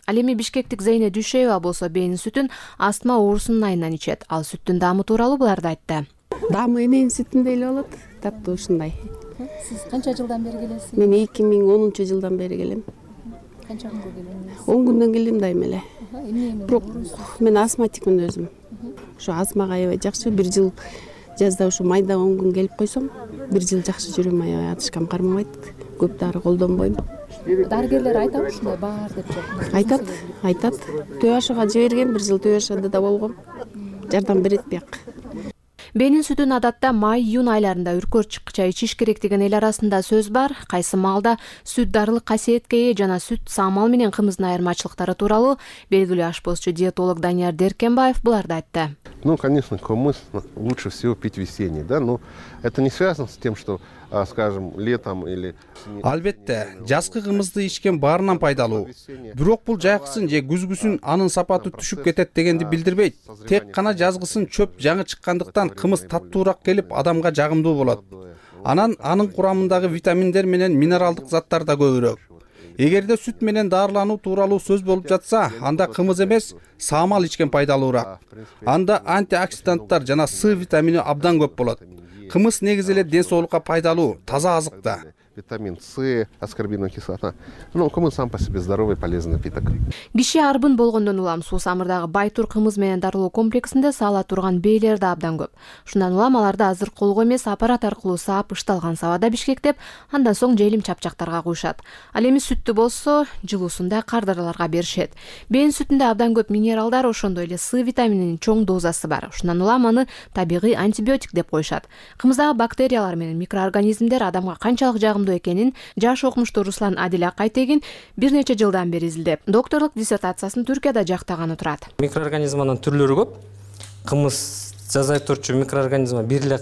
Speaker 18: Ал эми бишкектик Зейне Дүйшөева болсо бенин сүтүн астма оорусунун айынан ичет. Ал сүттүн даамы тууралуу буларды айтты.
Speaker 20: Даамы эненин сүтүндөй эле болот, таттуу ушундай.
Speaker 21: Сиз канча жылдан бери келесиз?
Speaker 20: Мен эки миң онунчу жылдан бери келем.
Speaker 21: Канча күнгө келдиңиз?
Speaker 20: он күндөн келдим дайым эле.
Speaker 21: Эмне
Speaker 20: Бирок мен астматикмин өзүм. Ошо астмага аябай жакшы. Бир жыл жазда ушу майда он күн келип койсом, бир жыл жакшы жүрөм, аябай атышкам кармабайт. Көп дары колдонбойм.
Speaker 21: дарыгерлер айтабы ушундай бар деп жок?
Speaker 20: Айтат, айтат. ТОАШга жиберген, бир жыл ТОАШда да болгом. Жардам берет бияк.
Speaker 18: Бенин сүтүн адатта май-июнь айларында үркөрчүкча ичиш керек деген эл арасында сөз бар. Кайсы маалда сүт дарылык касиетке ээ жана сүт саамал менен кымыздын айырмачылыктары тууралуу белгилүү ашпозчу диетолог Данияр Деркенбаев буларды айтты.
Speaker 6: Ну, конечно, кумыс лучше всего пить весенний, да, но это не связано с тем, что, скажем, летом или...
Speaker 9: Албетте, жазкы кымызды ичкен баарынан пайдалуу. Бирок бул жайкысын же күзгүсүн анын сапаты түшүп кетет дегенди билдирбейт. Тек гана жазгысын чөп жаңы чыккандыктан кымыз таттуураак келип, адамга жагымдуу болот. Анан анын курамындагы витаминдер менен минералдык заттар да көбүрөөк. Эгерде сүт менен дарылануу тууралуу сөз болуп жатса, анда кымыз эмес, саамал ичкен пайдалуураак. Анда антиоксиданттар жана С витамини абдан көп болот. Кымыз негизи эле ден соолукка пайдалуу, таза азык да.
Speaker 6: Витамин С, аскорбиновая кислота. Ну, кумыс сам по себе здоровый, полезный напиток.
Speaker 18: Киши арбын болгондон улам суу самырдагы Байтур кымыз менен дарылоо комплексинде саала турган бейлер да абдан көп. Шундан улам аларды азыр колго эмес аппарат аркылуу саап ышталган сабада бишкектеп, андан соң желим чапчактарга куюшат. Ал эми сүттү болсо жылуусунда кардараларга беришет. Бейин сүтүндө абдан көп минералдар, ошондой эле С витамининин чоң дозасы бар. Шундан улам аны табигый антибиотик деп коюшат. Кымыздагы бактериялар менен микроорганизмдер адамга канчалык жагымдуу экенин жаш окумуштуу Руслан Адил Акайтегин бир нече жылдан бери изилдеп, докторлук диссертациясын Түркияда жактаганы турат.
Speaker 22: Микроорганизманын түрлөрү көп. Кымыз жаза турчу микроорганизм бир эле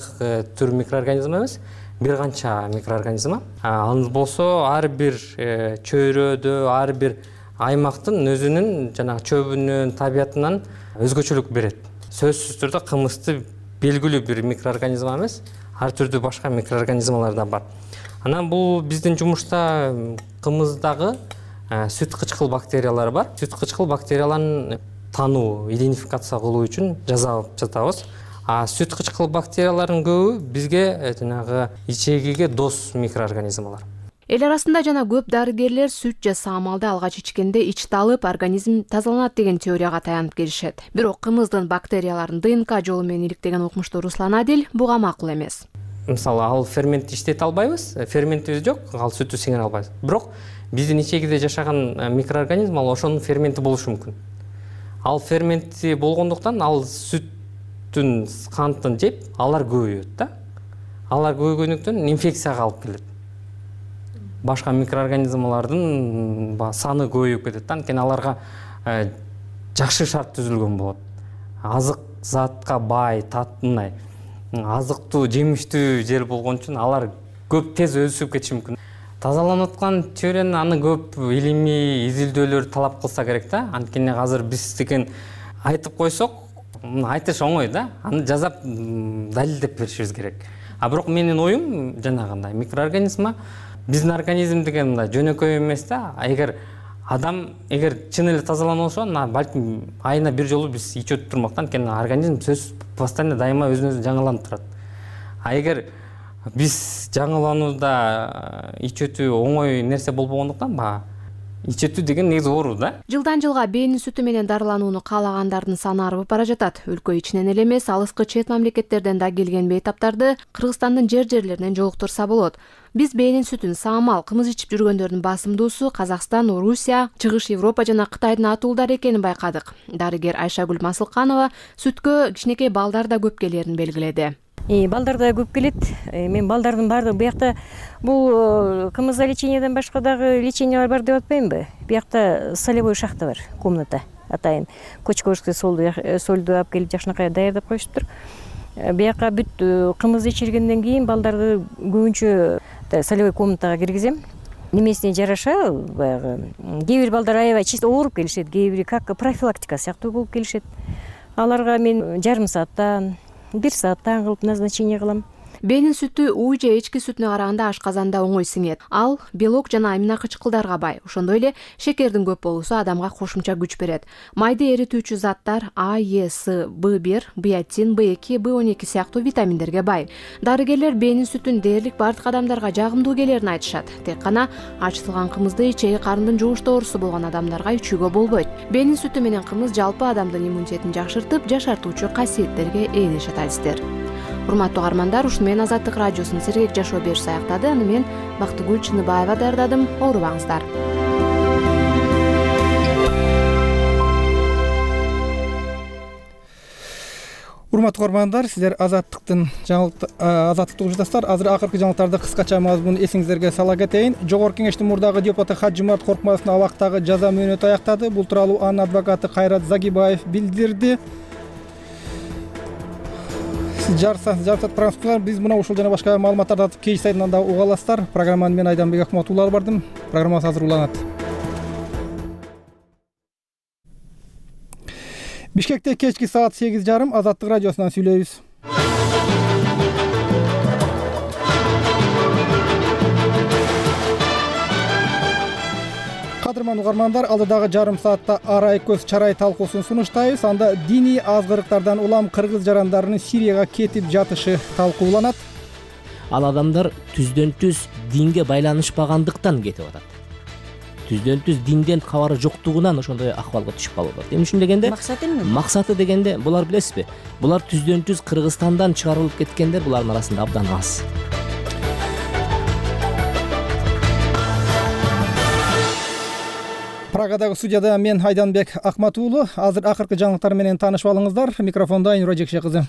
Speaker 22: түр микроорганизм эмес, бир канча микроорганизм. Ал болсо ар бир чөйрөдө, ар бир аймактын өзүнүн жана чөбүнүн табиятынан өзгөчөлүк берет. Сөзсүз түрдө кымызды белгилүү бир микроорганизм эмес, ар түрдүү башка микроорганизмалар да бар. Анан бул биздин жумушта кымыздагы сүт кычкыл бактериялары бар. Сүт кычкыл бактерияларын тануу, идентификация кылуу үчүн жасап жатабыз. А сүт кычкыл бактериялардын көбү бизге жанагы ичегиге дос микроорганизмалар.
Speaker 18: Эл арасында жана көп дарыгерлер сүт же саамалды алгач ичкенде ич талып, организм тазаланат деген теорияга таянып келишет. Бирок кымыздын бактерияларын ДНК жолу менен иликтеген окумуштуу Руслан Адил буга макул эмес.
Speaker 22: Мисалы, ал фермент иштете албайбыз, ферментибиз жок, ал сүттү сиңире албайбыз. Бирок биздин ичегибизде жашаган микроорганизм ал ошонун ферменти болушу мүмкүн. Ал ферменти болгондуктан ал сүттүн кантын жеп, алар көбөйөт да. Алар көбөйгөндүктөн инфекцияга алып келет. Башка микроорганизмалардын саны көбөйүп кетет. Анткени аларга жакшы шарт түзүлгөн болот. Азык затка бай, татынай, азыктуу, жемиштүү жер болгон үчүн алар көп тез өсүп кетиши мүмкүн. Тазаланып аткан теорияны аны көп илимий изилдөөлөр талап кылса керек да. Анткени азыр биз деген айтып койсок, айтыш оңой да. Аны жазап далилдеп беришибиз керек. А бирок менин оюм жанагындай микроорганизма биздин организм деген мындай жөнөкөй эмес да. Эгер адам эгер чын эле тазаланып болсо, балким айына бир жолу биз ичип турмактан, анткени организм сөз постоянно дайыма өзүн өзү жаңыланып турат. А эгер биз жаңыланууда ичетүү оңой нерсе болбогондуктан, ба ичетүү деген негизи оору да.
Speaker 18: Жылдан жылга бейнин сүтү менен дарыланууну каалагандардын саны арбып бара жатат. Өлкө ичинен эле эмес, алыскы чет мамлекеттерден да келген бейтаптарды Кыргызстандын жер-жерлеринен жолуктурса болот. Биз бейнин сүтүн саамал кымыз ичип жүргөндөрдүн басымдуусу Казакстан, Орусия, Чыгыш Европа жана Кытайдын атуулдары экенин байкадык. Дарыгер Айшагүл Масылканова сүткө кичинекей балдар да көп келерин белгиледи.
Speaker 23: Балдар да көп келет. Мен балдардын баардыгы биякта бул кымызда лечениеден башка дагы лечениялар бар деп атпаймынбы? Биякта солевой шахта бар, комната атайын. Кочковская солду солду алып келип жакшынакай даярдап коюшуптур. Бияка бүт кымыз ичиргенден кийин балдарды көбүнчө солевой комнатага киргизем. Немесине жараша, баягы кээ бир балдар аябай чисто ооруп келишет, кээ бири как профилактика сыяктуу болуп келишет. Аларга мен жарым сааттан бир сааттан кылып назначение кылам.
Speaker 18: Бенин сүтү уй же эчки сүтүнө караганда ашказанда оңой сиңет. Ал белок жана амино кычкылдарга бай. Ошондой эле шекердин көп болуусу адамга кошумча күч берет. Майды эритүүчү заттар А, Е, С, Б бир, биотин, Б эки, Б он эки сыяктуу витаминдерге бай. Дарыгерлер бенин сүтүн дээрлик бардык адамдарга жагымдуу келерин айтышат. Тек гана ачытылган кымызды ичеги карындын жугуш оорусу болгон адамдарга ичүүгө болбойт. Бенин сүтү менен кымыз жалпы адамдын иммунитетин жакшыртып, жашартуучу касиеттерге ээ дешет адистер. урматтуу угармандар, ушуну менен Азаттык радиосунун сергек жашоо бериши аяктады. Аны мен Бактыгүл Чыныбаева даярдадым. Оорубаңыздар.
Speaker 1: Урматтуу угармандар, сиздер Азаттыктын жаңылык Азаттыктын угуштасыздар. Азыр акыркы жаңылыктарды кыскача мазмун эсиңиздерге сала кетейин. Жогорку кеңештин мурдагы депутаты Хаджимурат Коркмазовдун абактагы жаза мөөнөтү аяктады. Бул тууралуу анын адвокаты Кайрат Загибаев билдирди. Сиз жарсат жарсат программасында биз мына ушул жана башка маалыматтарды атып кей сайтынан да уга аласыздар. Программаны мен Айданбек Акматулла алып бардым. Программа азыр уланат. Бишкекте кечки саат сегиз жарым Азаттык радиосунан сүйлөйбүз. Кадырман угармандар, алдыдагы жарым саатта арай көз чарай талкуусун сунуштайбыз. Анда диний азгырыктардан улам кыргыз жарандарынын Сирияга кетип жатышы талкууланат.
Speaker 4: Ал адамдар түздөн түз динге байланышпагандыктан кетип атат. Түздөн түз динден кабары жоктугунан ошондой акыбалга түшүп калып атат. Эми ушун дегенде максаты эмне? Максаты дегенде булар билесизби? Булар түздөн түз Кыргызстандан чыгарылып кеткендер булардын арасында абдан аз. Прагадагы студияда мен Айданбек Акматулла. Азыр акыркы жаңылыктар менен таанышып алыңыздар. Микрофондо Айнура Жекше кызы.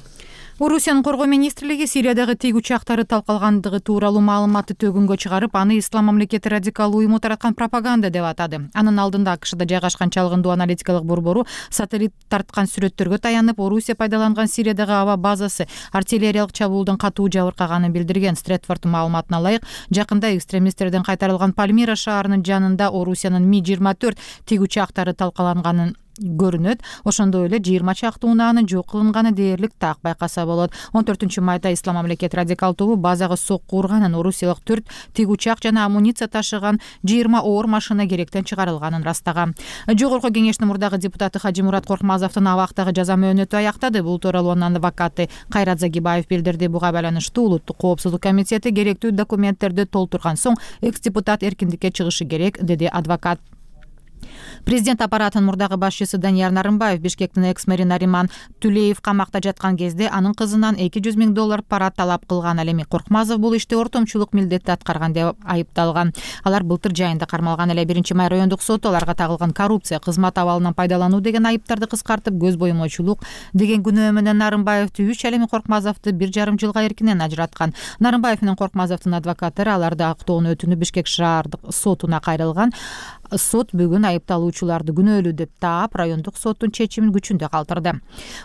Speaker 5: Орусиянын коргоо министрлиги Сириядагы тиг учактары талкалгандыгы тууралуу маалыматты төгүнгө чыгарып, аны Ислам мамлекети радикал уюму тараткан пропаганда деп атады. Анын алдында АКШда жайгашкан чалгындуу аналитикалык борбору сателлит тарткан сүрөттөргө таянып, Орусия пайдаланган Сириядагы аба базасы артиллериялык чабуулдан катуу жабыркаганын билдирген. Стретфорд маалыматына ылайык, жакында экстремисттерден кайтарылган Пальмира шаарынын жанында Орусиянын Ми жыйырма төрт тиг учактары талкаланганын көрүнөт. Ошондой эле жыйырма чакты унаанын жок кылынганы дээрлик так байкаса болот. он төртүнчү майда Ислам мамлекети радикал тобу базага сокку урганын, орусиялык төрт тиг учак жана амуниция ташыган жыйырма оор машина керектен чыгарылганын растаган. Жогорку кеңештин мурдагы депутаты Хаджимурат Коркмазовдун абактагы жаза мөөнөтү аяктады. Бул тууралуу анын адвокаты Кайрат Загибаев билдирди. Буга байланыштуу Улуттук коопсуздук комитети керектүү документтерди толтурган соң экс депутат эркиндикке чыгышы керек, деди адвокат. Президент аппаратынын мурдагы башчысы Данияр Нарымбаев Бишкектин экс-мэри Нариман Түлеев камакта жаткан кезде анын кызынан эки жүз миң доллар пара талап кылган. Ал эми Коркмазов бул иште ортомчулук милдетти аткарган деп айыпталган. Алар былтыр жайында кармалган. Эле биринчи май райондук соту аларга тагылган коррупция, кызмат абалынан пайдалануу деген айыптарды кыскартып, көз боюмочулук деген күнөө менен Нарымбаевди үч, ал эми Коркмазовду бир жарым жылга эркинен ажыраткан. Нарымбаев менен Коркмазовдун адвокаттары аларды актоонун өтүнүп Бишкек шаардык сотуна кайрылган. Сот бүгүн айыпталуучуларды күнөөлүү деп таап, райондук соттун чечимин күчүндө калтырды.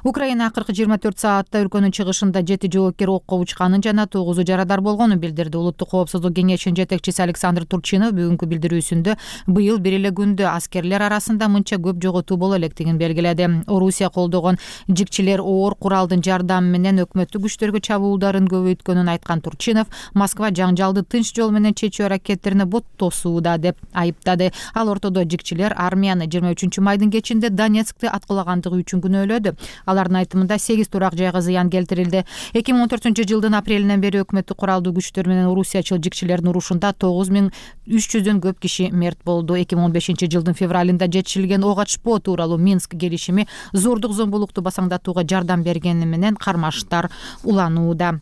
Speaker 5: Украина акыркы жыйырма төрт саатта өлкөнүн чыгышында жети жоопкер окко учканын жана тогузу жарадар болгонун билдирди. Улуттук коопсуздук кеңешинин жетекчиси Александр Турчинов бүгүнкү билдирүүсүндө быйыл бир эле күндө аскерлер арасында мынча көп жоготуу боло электигин белгиледи. Орусия колдогон жикчилер оор куралдын жардамы менен өкмөттүк күчтөргө чабуулдарын көбөйткөнүн айткан Турчинов Москва жаңжалды тынч жол менен чечүү аракеттерине бот тосууда деп айыптады. Ал ортодо жикчилер армияны жыйырма үчүнчү майдын кечинде Донецкти аткылагандыгы үчүн күнөөлөдү. Алардын айтымында сегиз турак жайга зыян келтирилди. эки миң он төртүнчү жылдын апрелинен бери өкмөттүк куралдуу күчтөр менен орусиячыл жикчилердин урушунда тогуз миң үч жүздөн көп киши мерт болду. эки миң он бешинчи жылдын февралында жетишилген ок ачпоо тууралуу Минск келишими зордук зомбулукту басаңдатууга жардам бергени менен кармаштар уланууда.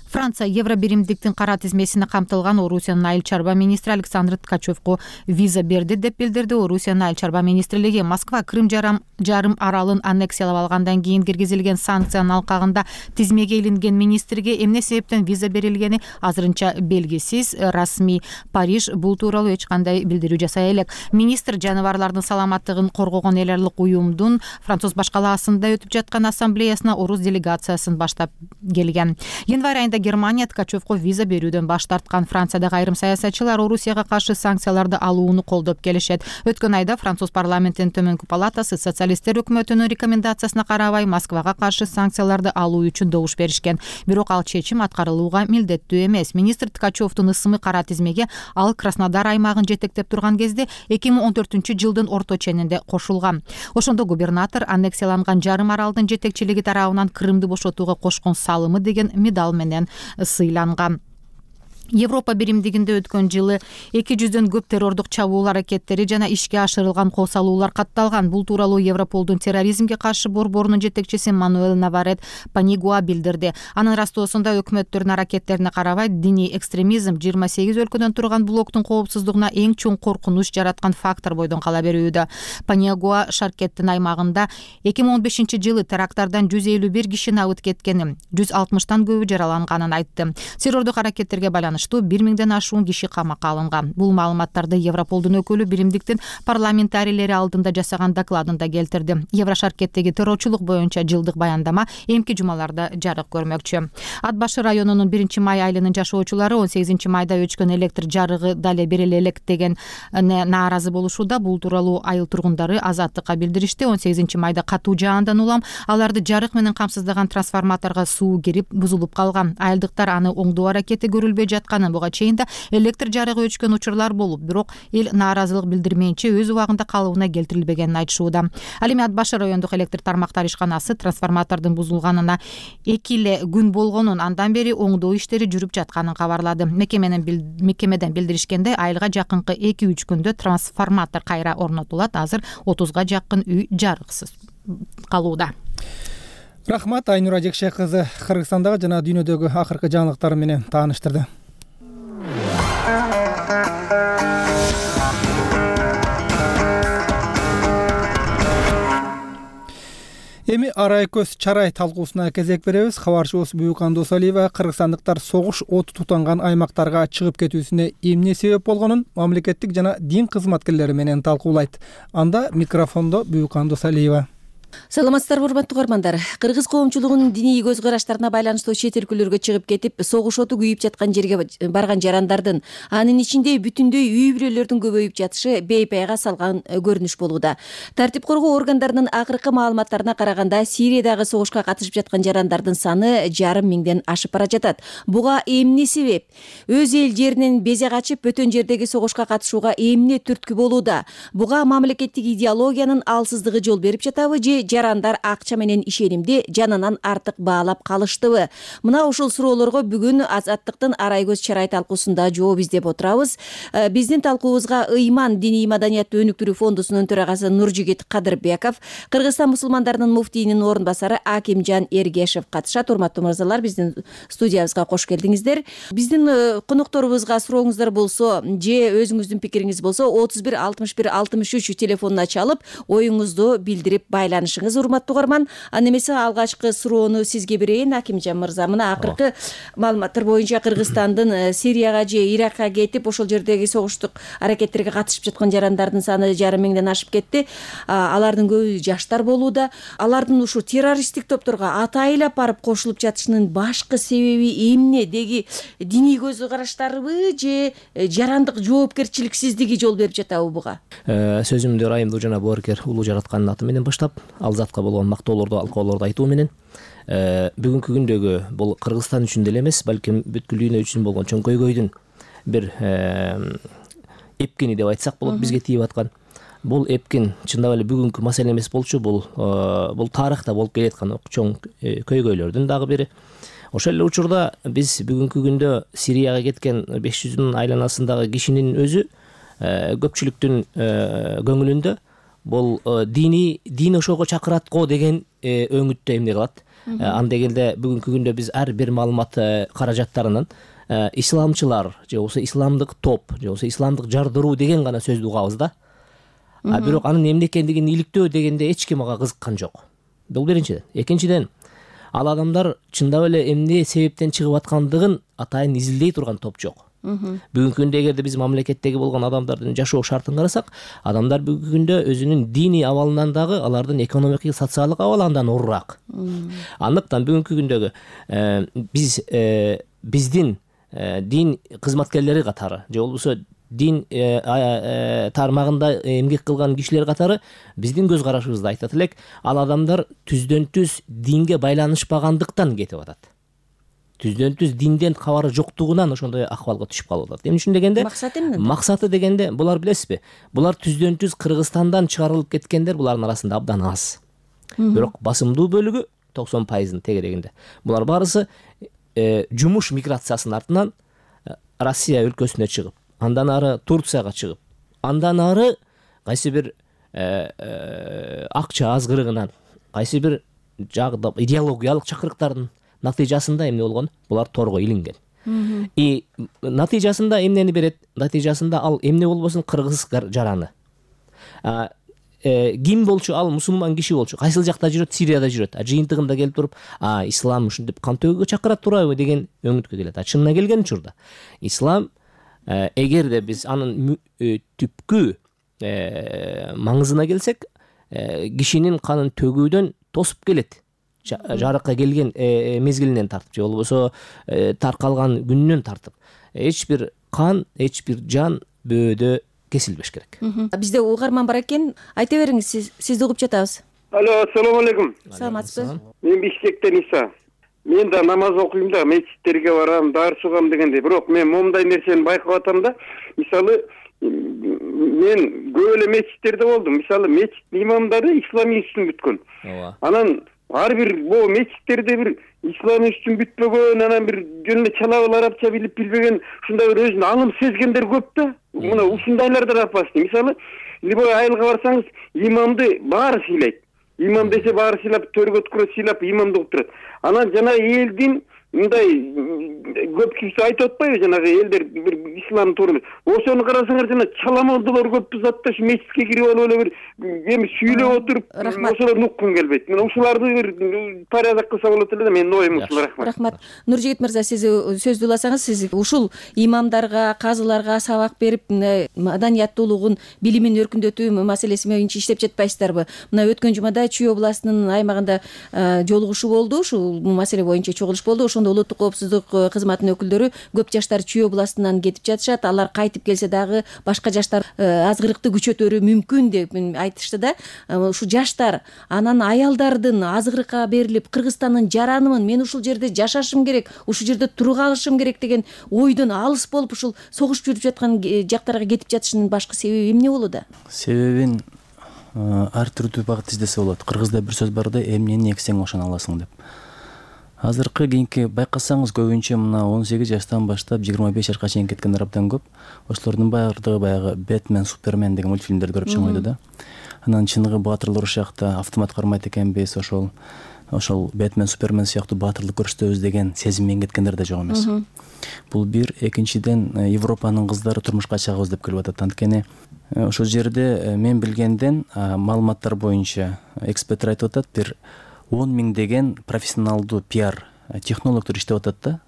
Speaker 5: Франция евробиримдиктин кара тизмесине камтылган Орусиянын айыл чарба министри Александр Ткачевко виза берди деп билдирди. Орусиянын айыл чарба министрлиги Москва Крым жарым, жарым аралын аннексиялап алгандан кийин киргизилген санкциянын алкагында тизмеге илинген министрге эмне себептен виза берилгени азырынча белгисиз. Расмий Париж бул тууралуу эч кандай билдирүү жасай элек. Министр жаныбарлардын саламаттыгын коргогон эл аралык уюмдун Француз башкалаасында өтүп жаткан ассамблеясына орус делегациясын баштап келген. Январь айында Германия Ткачевко виза берүүдөн баш тарткан. Франциядагы айрым саясатчылар Орусияга каршы санкцияларды алууну колдоп келишет. Өткөн айда Француз парламентинин төмөнкү палатасы социалисттер өкмөтүнүн рекомендациясына карабай Москвага каршы санкцияларды алуу үчүн добуш беришкен. Бирок ал чечим аткарылууга милдеттүү эмес. Министр Ткачевдун ысымы кара тизмеге ал Краснодар аймагын жетектеп турган кезде эки миң он төртүнчү жылдын орто ченинде кошулган. Ошондо губернатор аннексияланган жарым аралдын жетекчилиги тарабынан Крымды бошотууга кошкон салымы деген медал менен сыйланган. Европа биримдигинде өткөн жылы эки жүздөн көп террордук чабуул аракеттери жана ишке ашырылган кол салуулар катталган. Бул тууралуу Европолдун терроризмге каршы борборунун жетекчиси Мануэл Наварет Панигуа билдирди. Анын растоосунда өкмөттөрдүн аракеттерине карабай диний экстремизм жыйырма сегиз өлкөдөн турган блоктун коопсуздугуна эң чоң коркунуч жараткан фактор бойдон кала берүүдө. Панигуа Шаркеттин аймагында эки миң он бешинчи жылы теракттардан жүз элүү бир киши абыт кеткенин, жүз алтымыштан көбү жараланганын айтты. Террордук аракеттерге байланыштуу бир миңден ашуун киши камакка алынган. Бул маалыматтарды Европолдун өкүлү биримдиктин парламентарийлери алдында жасаган докладында келтирди. Еврошаркеттеги террорчулук боюнча жылдык баяндама эмки жумаларда жарык көрмөкчү. Ат башы районунун биринчи май айылынын жашоочулары он сегизинчи майда өчкөн электр жарыгы дале бериле элек деген нааразы болушууда. Бул тууралуу айыл тургундары Азаттыкка билдиришти. он сегизинчи майда катуу жаандан улам аларды жарык менен камсыздаган трансформаторго суу кирип бузулуп калган. Айылдыктар аны оңдоо аракети көрүлбөй жаткан. Буга чейин да электр жарыгы өчкөн учурлар болуп, бирок эл нааразылык билдирмейинче өз убагында калыбына келтирилбегенин айтышууда. Ал эми Ат башы райондук электр тармактар ишканасы трансформатордун бузулганына эки эле күн болгонун, андан бери оңдоо иштери жүрүп жатканын кабарлады. Мекеменин мекемеден билдиришкенде айылга жакынкы эки үч күндө трансформатор кайра орнотулат. Азыр отузга жакын үй жарыксыз калууда.
Speaker 1: Рахмат, Айнура Жекше кызы Кыргызстандагы жана дүйнөдөгү акыркы жаңылыктар менен тааныштырды. Эми арай көз чарай талкуусуна кезек беребиз. Кабарчыбыз Буюкан Досалиева кыргызстандыктар согуш оту тутанган аймактарга чыгып кетүүсүнө эмне себеп болгонун мамлекеттик жана дин кызматкерлери менен талкуулайт. Анда микрофондо Буюкан Досалиева.
Speaker 7: Саламатсыздарбы, урматтуу угармандар. Кыргыз коомчулугунун диний көз караштарына байланыштуу чет өлкөлөргө чыгып кетип, согуш оту күйүп жаткан жерге барган жарандардын, анын ичинде бүтүндөй үй бүлөлөрдүн көбөйүп жатышы бейпайга салган көрүнүш болууда. Тартип коргоо органдарынын акыркы маалыматтарына караганда, Сириядагы согушка катышып жаткан жарандардын саны жарым миңден ашып бара жатат. Буга эмне себеп? Өз эл жеринен безе качып, бөтөн жердеги согушка катышууга эмне түрткү болууда? Буга мамлекеттик идеологиянын алсыздыгы жол берип жатабы же жарандар акча менен ишенимди жанынан артык баалап калыштыбы? Мына ушул суроолорго бүгүн Азаттыктын арай көз чарай талкуусунда жооп издеп отурабыз. Биздин талкуубузга Ыйман диний маданиятты өнүктүрүү фондусунун төрагасы Нуржигит Кадырбеков, Кыргызстан мусулмандарынын муфтийинин орун басары Акимжан Эргешев катышат. Урматтуу мырзалар, биздин студиябызга кош келдиңиздер. Биздин конокторубузга сурооңуздар болсо же өзүңүздүн пикириңиз болсо отуз бир алтымыш бир алтымыш үч телефонуна чалып оюңузду билдирип байланышыңыз. Урматтуу угарман, аны эмесе алгачкы суроону сизге берейин, Акимжан мырза. Мына акыркы маалыматтар боюнча Кыргызстандын Сирияга же Иракка кетип, ошол жердеги согуштук аракеттерге катышып жаткан жарандардын саны жарым миңден ашып кетти. Алардын көбү жаштар болууда. Алардын ушу террористтик топторго атайылап барып кошулуп жатышынын башкы себеби эмне? Деги диний көз караштарыбы же жарандык жоопкерчиликсиздиги жол берип жатабы буга?
Speaker 4: Сөзүмдү ырайымдуу жана боорукер улуу жараткандын аты менен баштап, ал затка болгон мактоолорду, алкоолорду айтуу менен бүгүнкү күндөгү бул Кыргызстан үчүн деле эмес, балким бүткүл дүйнө үчүн болгон чоң көйгөйдүн бир эпкени деп айтсак болот, бизге тийип аткан. Бул эпкин чындап эле бүгүнкү маселе эмес болчу, бул бул тарыхта болуп келаткан чоң көйгөйлөрдүн дагы бири. Ошол эле учурда биз бүгүнкү күндө Сирияга кеткен беш жүздүн айланасындагы кишинин өзү көпчүлүктүн көңүлүндө бул дини дин ошого чакырат го деген өңүттө эмне кылат. Анда келде бүгүнкү күндө биз ар бир маалымат каражаттарынын исламчылар же болбосо исламдык топ же болбосо исламдык жардыруу деген гана сөздү угабыз да. А бирок анын эмне экендигин иликтөө дегенде эч ким ага кызыккан жок. Бул биринчиден. Экинчиден, ал адамдар чындап эле эмне себептен чыгып аткандыгын атайын изилдей турган топ жок. Бүгүнкү күндө эгерде биз мамлекеттеги болгон адамдардын жашоо шартын карасак, адамдар бүгүнкү күндө өзүнүн диний абалынан дагы алардын экономикалык, социалдык абалы андан оорураак. Андыктан бүгүнкү күндөгү биз биздин дин кызматкерлери катары же болбосо дин тармагында эмгек кылган кишилер катары биздин көз карашыбызды айтат элек, ал адамдар түздөн түз динге байланышпагандыктан кетип атат. Түздөн түз динден кабары жоктугунан ошондой акыбалга түшүп калып атат. Эмне үчүн дегенде, максаты эмне? Максаты дегенде, булар билесизби? Булар түздөн түз Кыргызстандан чыгарылып кеткендер булардын арасында абдан аз. Бирок басымдуу бөлүгү токсон пайыздын тегерегинде. Булар барысы жумуш миграциясынын артынан Россия өлкөсүнө чыгып, андан ары Турцияга чыгып, андан ары кайсы бир акча азгырыгынан, кайсы бир жагда идеологиялык чакырыктардын натыйжасында эмне болгон? Булар торго илинген. И натыйжасында эмнени берет? Натыйжасында ал эмне болбосун кыргыз жараны. Ким болчу? Ал мусулман киши болчу. Кайсыл жакта жүрөт? Сирияда жүрөт. А жыйынтыгында келип туруп, а ислам ушинтип кан төгүүгө чакырат турабы деген өңүткө келет. А чынына келген учурда ислам эгерде биз анын түпкү маңызына келсек, кишинин канын төгүүдөн тосуп келет. Жарыкка келген мезгилинен тартып, же болбосо таркалган күнүнөн тартып. Эч бир кан, эч бир жан бөөдө кесилбеш керек.
Speaker 7: Бизде угарман бар экен. Айта бериңиз, сиз сизди угуп жатабыз.
Speaker 8: Алло, ассаламу алейкум.
Speaker 7: Саламатсызбы?
Speaker 8: Мен Бишкектен Иса. Мен да намаз окуйм да, мечиттерге барам, дарс угам дегендей. Бирок мен момундай нерсени байкап атам да. Мисалы, мен көп эле мечиттерде болдум. Мисалы, мечит имамдары ислам үчүн бүткөн.
Speaker 4: Ооба.
Speaker 8: Анан ар бир бул мечиттерде бир ислам үчүн бүтпөгөн, анан бир жөн эле чалабыл арабча билип билбеген, ушундай бир өзүн алым сезгендер көп да. Мына ушундайлардан апасты. Мисалы, любой айылга барсаңыз, имамды баары сыйлайт. Имам десе баары сыйлап, төргө өткөрөт, сыйлап имамды угуп турат. Анан жана элдин мындай көп киши айтып атпайбы, жанагы элдер бир ислам тууралуу. Ошону карасаңар, жана чаламолдулар көп затта ушу мечитке кирип алып эле бир эми сүйлөп отуруп, ошолорду уккум келбейт. Мен ушуларды бир порядок кылса болот эле да, менин оюм ушул. Рахмат.
Speaker 7: Рахмат. Нуржигит мырза, сиз сөздү уласаңыз, сиз ушул имамдарга, казыларга сабак берип, маданияттуулугун, билимин өркүндөтүү маселеси боюнча иштеп жатпайсыздарбы? Мына өткөн жумада Чүй областынын аймагында жолугушуу болду, ушул маселе боюнча чогулуш болду. Ошондо улуттук коопсуздук кызматынын өкүлдөрү көп жаштар Чүй областынан кетип жатышат. Алар кайтып келсе дагы башка жаштар азгырыкты күчөтөрү мүмкүн деп айтышты да. Ушу жаштар, анан аялдардын азгырыкка берилип, Кыргызстандын жаранымын, мен ушул жерде жашашым керек, ушул жерде туруп алышым керек деген ойдон алыс болуп, ушул согуш жүрүп жаткан жактарга кетип жатышынын башкы себеби эмне болууда?
Speaker 10: Себебин ар түрдүү багыт издесе болот. Кыргызда бир сөз бар да, эмнени эксең ошону аласың деп. Азыркы кийинки байкасаңыз, көбүнчө мына он сегиз жаштан баштап жыйырма беш жашка чейин кеткендер абдан көп. Ошолордун баардыгы баягы Бэтмен, Супермен деген мультфильмдерди көрүп чыгып да. Анан чыныгы баатырлар ушакта автомат кармайт экенбиз, ошол ошол Бэтмен, Супермен сыяктуу баатырлык көрсөтөбүз деген сезим менен кеткендер да жок эмес. Бул бир. Экинчиден, Европанын кыздары турмушка чыгабыз деп келип атат. Анткени ошол жерде мен билгенден маалыматтар боюнча эксперттер айтып атат, бир он миң деген профессионалдуу пиар технологдор иштеп атат да.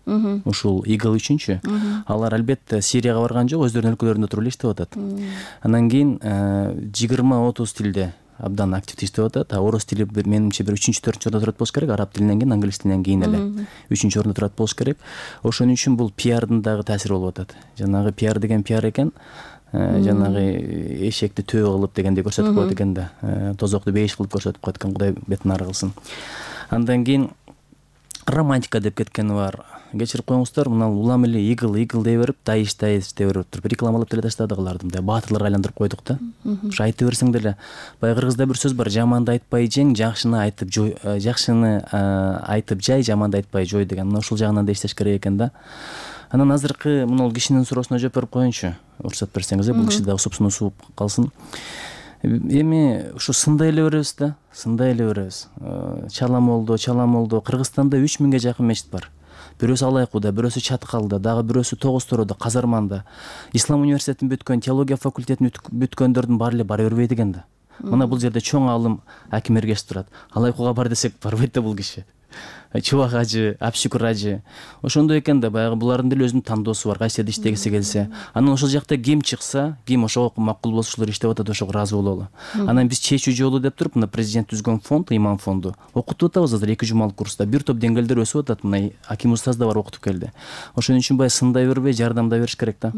Speaker 10: Ушул игл үчүнчү. Алар албетте Сирияга барган жок, өздөрүнүн өлкөлөрүндө туруп эле иштеп атат. Анан кийин жыйырма отуз тилде абдан активдүү иштеп атат. А орус тили менимче бир үчүнчү, төртүнчү ордо турат болуш керек, араб тилинен кийин, англис тилинен кийин эле үчүнчү ордо турат болуш керек. Ошон үчүн бул пиардын дагы таасири болуп атат. Жанагы пиар деген пиар экен. Жанагы эшекти төө кылып дегендей көрсөтүп коет экен да. Тозокту бейиш кылып көрсөтүп коет экен, Кудай бетин ары кылсын. Андан кийин романтика деп кеткени бар. Кечирип коюңуздар, мына улам эле игл игл дей берип, дайыш дайыш дей берип туруп рекламалап деле таштадык аларды. Мындай баатырларга айландырып койдук да. Ушу айта берсең деле, баягы кыргызда бир сөз бар: жаманды айтпай жең, жакшыны айтып жой, жакшыны айтып жай, жаманды айтпай жой деген. Мына ушул жагынан да иштеш керек экен да. Анан азыркы мына кишинин суроосуна жооп берип коеюнчу, уруксат берсеңиз, бул киши дагы супсунусуп калсын. Эми ушу сындай эле беребиз да, сындай эле беребиз. Чаламолдо, чаламолдо Кыргызстанда үч миңге жакын мечит бар. Бирөөсү Алайкуда, бирөөсү Чаткалда, дагы бирөөсү Тогуз Тороодо, Казарманда. Ислам университетин бүткөн, теология факультетин бүткөндөрдүн баары эле бара бербейт экен да. Мына бул жерде чоң аалым Аким Эргеш турат. Алайкуга бар десек барбайт да бул киши. Чубак ажы, Апшүкүр ажы. Ошондой экен да, баягы булардын деле өзүнүн тандоосу бар, кайсы жерде иштегиси келсе. Анан ошол жакта ким чыкса, ким ошого макул болсо ошолор иштеп атат, ошого ыраазы бололу. Анан биз чечүү жолу деп туруп, мына президент түзгөн фонд, имам фонду окутуп атабыз азыр эки жумалык курста. Бир топ деңгээлдер өсүп атат, мына Аким устаз да бар окутуп келди. Ошон үчүн баягы сындай бербей, жардамдай бериш керек да.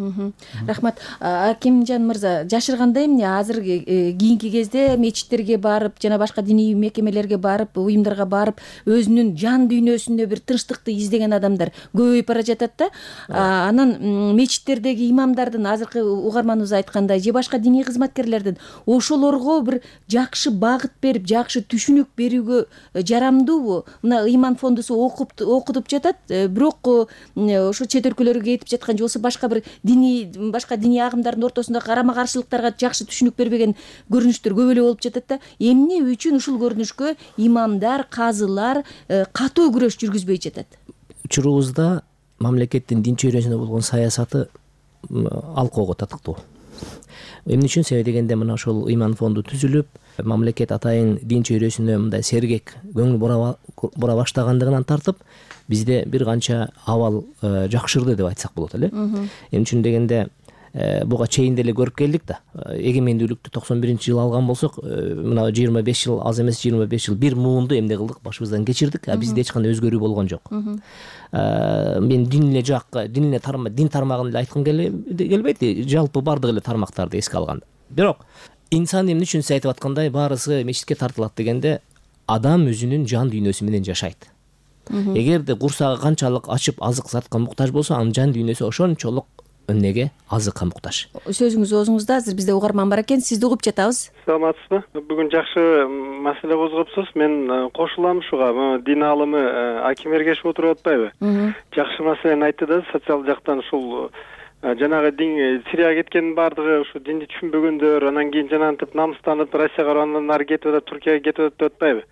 Speaker 7: Рахмат. Акимжан мырза, жашырганда эмне азыр кийинки кезде мечиттерге барып, жана башка диний мекемелерге барып, уюмдарга барып, өзүнүн жан жан дүйнөсүнө бир тынчтыкты издеген адамдар көбөйүп бара жатат да. Анан мечиттердеги имамдардын азыркы угарманыбыз айткандай же башка диний кызматкерлердин ошолорго бир жакшы багыт берип, жакшы түшүнүк берүүгө жарамдуубу? Мына ыйман фондусу окуп окутуп жатат, бирок ошо чет өлкөлөргө кетип жаткан же болбосо башка бир диний башка диний агымдардын ортосундагы карама каршылыктарга жакшы түшүнүк бербеген көрүнүштөр көп эле болуп жатат да. Эмне үчүн ушул көрүнүшкө имамдар, казылар катуу күрөш жүргүзбөй жатат?
Speaker 4: Учурубузда мамлекеттин дин чөйрөсүнө болгон саясаты алкоого татыктуу. Эмне үчүн? Себеби дегенде мына ошол ыйман фонду түзүлүп, мамлекет атайын дин чөйрөсүнө мындай сергек көңүл бура баштагандыгынан тартып, бизде бир канча абал жакшырды деп айтсак болот эле. Эмне үчүн дегенде буга чейин деле көрүп келдик да. Эгемендүүлүктү токсон биринчи жылы алган болсок, мына жыйырма беш жыл аз эмес, жыйырма беш жыл бир муунду эмне кылдык, башыбыздан кечирдик, а бизде эч кандай өзгөрүү болгон жок. Мен дин эле жакка, дин эле тармак, дин тармагын эле айткым келбейт, жалпы бардык эле тармактарды эске алганда. Бирок инсан эмне үчүн сиз айтып аткандай баарысы мечитке тартылат дегенде, адам өзүнүн жан дүйнөсү менен жашайт. Эгерде курсагы канчалык ачып азык затка муктаж болсо, анын жан дүйнөсү ошончолук эмнеге азыкка муктаж. Сөзүңүз
Speaker 7: оозуңузда, азыр бизде угарман бар экен, сизди угуп жатабыз.
Speaker 12: Саламатсызбы? Бүгүн жакшы маселе козгоптуз. Мен кошулам ушуга. Дин аалымы Аким Эргешев отуруп атпайбы? Жакшы маселени айтты да, социал жактан ушул жанагы дин Сирияга кеткендин баардыгы ушу динди түшүнбөгөндөр, анан кийин жанагынтип намыстанып Россияга, андан ары кетип атат, Туркияга кетип атат деп атпайбы?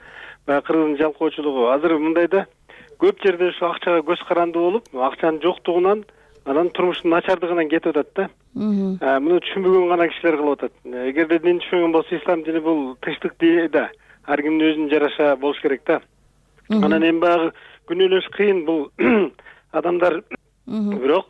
Speaker 12: Баягы кыргыздын жалкоочулугу. Азыр мындайда көп жерде ушу акчага көз каранды болуп, акчанын жоктугунан анан турмуштун начардыгынан кетип атат да. Муну түшүнбөгөн гана кишилер кылып атат. Эгерде дин түшүнгөн болсо, ислам дини бул тынчтык дини да. Ар кимдин өзүнүн жараша болуш керек да. Анан эми баягы күнөөлөш кыйын бул адамдар. Бирок